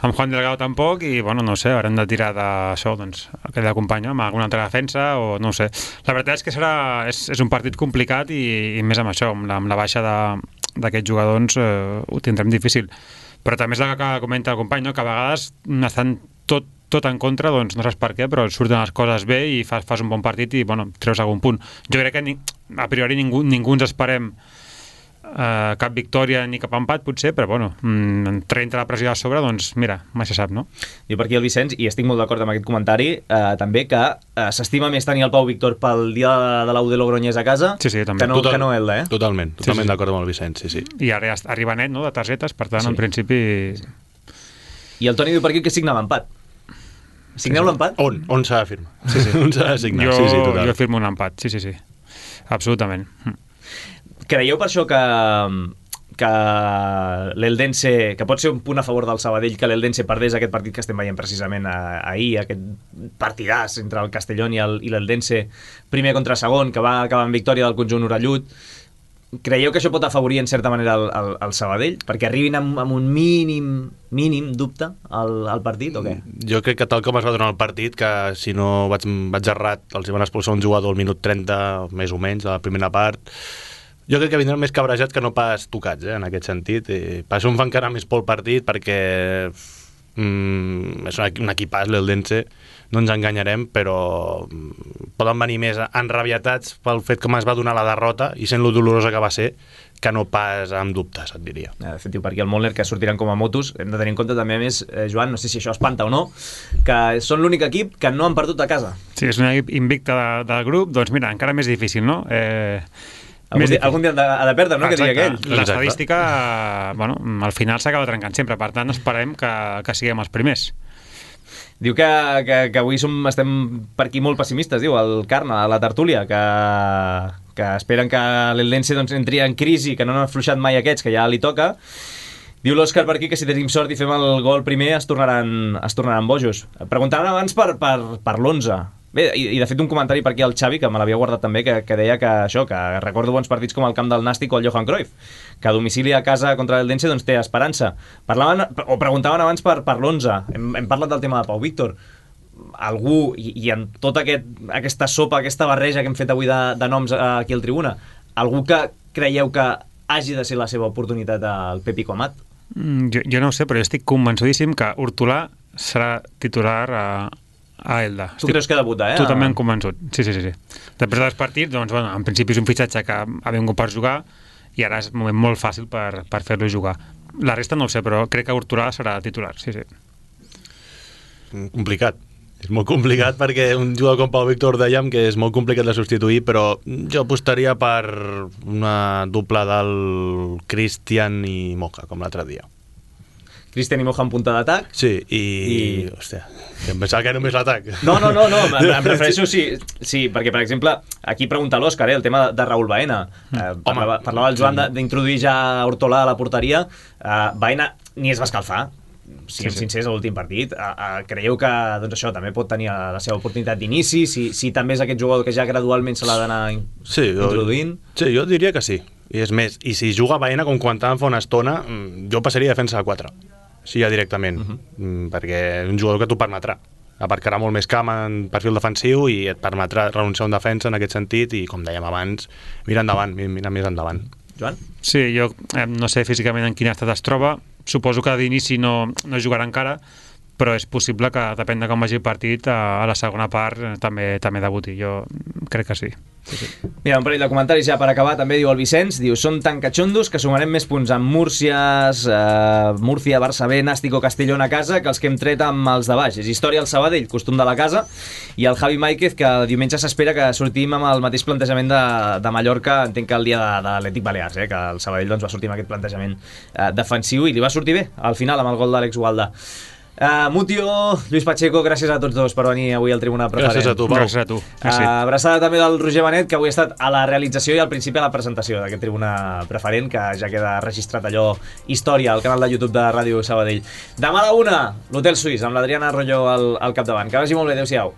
amb Juan Delgado tampoc, i bueno, no sé, haurem de tirar d'això, doncs, aquell company, amb alguna altra defensa, o no ho sé. La veritat és que serà, és, és un partit complicat i, i més amb això, amb la, amb la baixa de d'aquests jugadors eh, ho tindrem difícil, però també és el que comenta el company, no? Que a vegades estan tot, tot en contra, doncs no saps per què, però surten les coses bé i fas, fas un bon partit i bueno, treus algun punt. Jo crec que ni, a priori ningú, ningú ens esperem Uh, cap victòria ni cap empat potser, però bueno, mm, traient la pressió a sobre, doncs mira, mai se sap, no? Jo per aquí el Vicenç, i estic molt d'acord amb aquest comentari, uh, també que uh, s'estima més tenir el Pau Víctor pel dia de l'U de Logroñés a casa sí, sí, també. que no, Total, que no Elda, eh? Totalment, totalment sí, sí. d'acord amb el Vicenç, sí, sí. I ara ja arriba net, no?, de targetes, per tant, Sí. en principi... I el Toni diu per aquí que signava empat. Signeu Sí, sí. l'empat? On? On s'ha de firmar? Sí, sí. On s'ha de signar? Jo, sí, sí, total. jo firmo un empat, sí, sí, sí. Absolutament. Creieu per això que que l'Eldense, que pot ser un punt a favor del Sabadell, que l'Eldense perdés aquest partit que estem veient precisament ahir, aquest partidàs entre el Castellón i el- i l'Eldense, primer contra segon, que va acabar en victòria del conjunt orellut. Creieu que això pot afavorir en certa manera el, el, el Sabadell? Perquè arribin amb, amb un mínim mínim dubte al, al partit o què? Jo crec que tal com es va donar el partit, que si no vaig, vaig errat, els hi van expulsar un jugador al minut trenta, més o menys, de la primera part. Jo crec que vindran més cabrejats que no pas tocats, eh, en aquest sentit. I per això em fa encara més por el partit, perquè mm, és un, un equipàs, l'Eldense, no ens enganyarem, però mm, poden venir més enrabietats pel fet com es va donar la derrota i sent lo dolorosa que va ser, que no pas amb dubtes, et diria. De fet, diu per aquí el Molner que sortiran com a motos. Hem de tenir en compte també, a més, eh, Joan, no sé si això espanta o no, que són l'únic equip que no han perdut a casa. Sí, és un equip invicte de, del grup, doncs mira, encara més difícil, no? Eh, Algun més dia, difícil. algun dia ha de, ha de perdre, no? Que diria aquell. L'estadística, bueno, al final s'acaba trencant sempre, per tant esperem que, que siguem els primers. Diu que, que, que avui som, estem per aquí molt pessimistes, diu, el Carna, a la tertúlia, que, que esperen que l'Eldense doncs, entri en crisi, que no han afluixat mai aquests, que ja li toca. Diu l'Òscar per aquí que si tenim sort i fem el gol primer es tornaran, es tornaran bojos. Preguntaven abans per, per, per l'onze. Bé, i, i de fet un comentari per aquí al Xavi, que me l'havia guardat també, que, que deia que això, que recordo bons partits com el camp del Nàstic o el Johan Cruyff, que a domicili a casa contra l'Eldense doncs, té esperança. Parlaven, o preguntaven abans per, per l'onze. Hem, hem parlat del tema de Pau Víctor. Algú, i, i en tota aquest, aquesta sopa, aquesta barreja que hem fet avui de, de noms aquí al Tribuna, algú que creieu que hagi de ser la seva oportunitat al Pepi Comat? Mm, jo, jo no ho sé, però jo estic convençudíssim que Hortolà serà titular a, a Elda. Tu creus que debuta, eh? Totalment convençut, sí, sí, sí, sí. Després dels partits, doncs, bueno, en principi és un fitxatge que ha vingut per jugar i ara és un moment molt fàcil per, per fer-lo jugar. La resta no ho sé, però crec que Hortolà serà titular, sí, sí. Complicat. És molt complicat perquè un jugador com Pau Víctor dèiem que és molt complicat de substituir, però jo apostaria per una dupla del Cristian i Moja, com l'altre dia. Cristian i Moja en punta d'atac? Sí, i... I... Hòstia, em pensava que només l'atac. No, no, no, no. Em, em refereixo, sí, sí, perquè, per exemple, aquí pregunta l'Òscar, eh, el tema de Raúl Baena. Eh, parlava, parlava el Joan d'introduir ja Hortolà a la porteria. Eh, Baena ni es va escalfar, siguem sí, sí. sincers, a l'últim partit. Uh, uh, creieu que doncs això també pot tenir la seva oportunitat d'inici, si, si també és aquest jugador que ja gradualment se l'ha d'anar sí, introduint? Jo, sí, jo diria que sí. I és més, i si juga Baena, com comentàvem fa una estona, jo passaria a defensa de quatre. Sí, ja directament. Uh -huh. Perquè és un jugador que t'ho permetrà. Aparcarà molt més camp en perfil defensiu i et permetrà renunciar a un defensa en aquest sentit i, com dèiem abans, mira endavant, mira més endavant. Joan? Sí, jo eh, no sé físicament en quin estat es troba. Suposo que d'inici no, no jugarà encara, però és possible que, depèn de com vagi el partit, a la segona part també també debuti. Jo crec que sí. Sí, sí. Mira, un parell de comentaris ja per acabar. També diu el Vicenç, diu, són tan catxondos que sumarem més punts amb Múrcies, eh, Múrcia, Barça B, Nàstico, Castellón a casa que els que hem tret amb els de baix. És història al Sabadell, costum de la casa, i el Javi Máiquez, que diumenge s'espera que sortim amb el mateix plantejament de, de Mallorca, entenc que el dia de, de l'Atlètic Balears, eh, que el Sabadell doncs, va sortir amb aquest plantejament eh, defensiu i li va sortir bé al final amb el gol d'Àlex Gualda. Uh, Mutio, Lluís Pacheco, gràcies a tots dos per venir avui al Tribuna Preferent. Gràcies a tu, Pau. Gràcies a tu. Uh, abraçada també del Roger Benet, que avui ha estat a la realització i al principi a la presentació d'aquest Tribuna Preferent, que ja queda registrat allò història al canal de YouTube de Ràdio Sabadell. Demà a la una, l'Hotel Suís, amb l'Adriana Arroyo al, al capdavant. Que vagi molt bé, adeu-siau.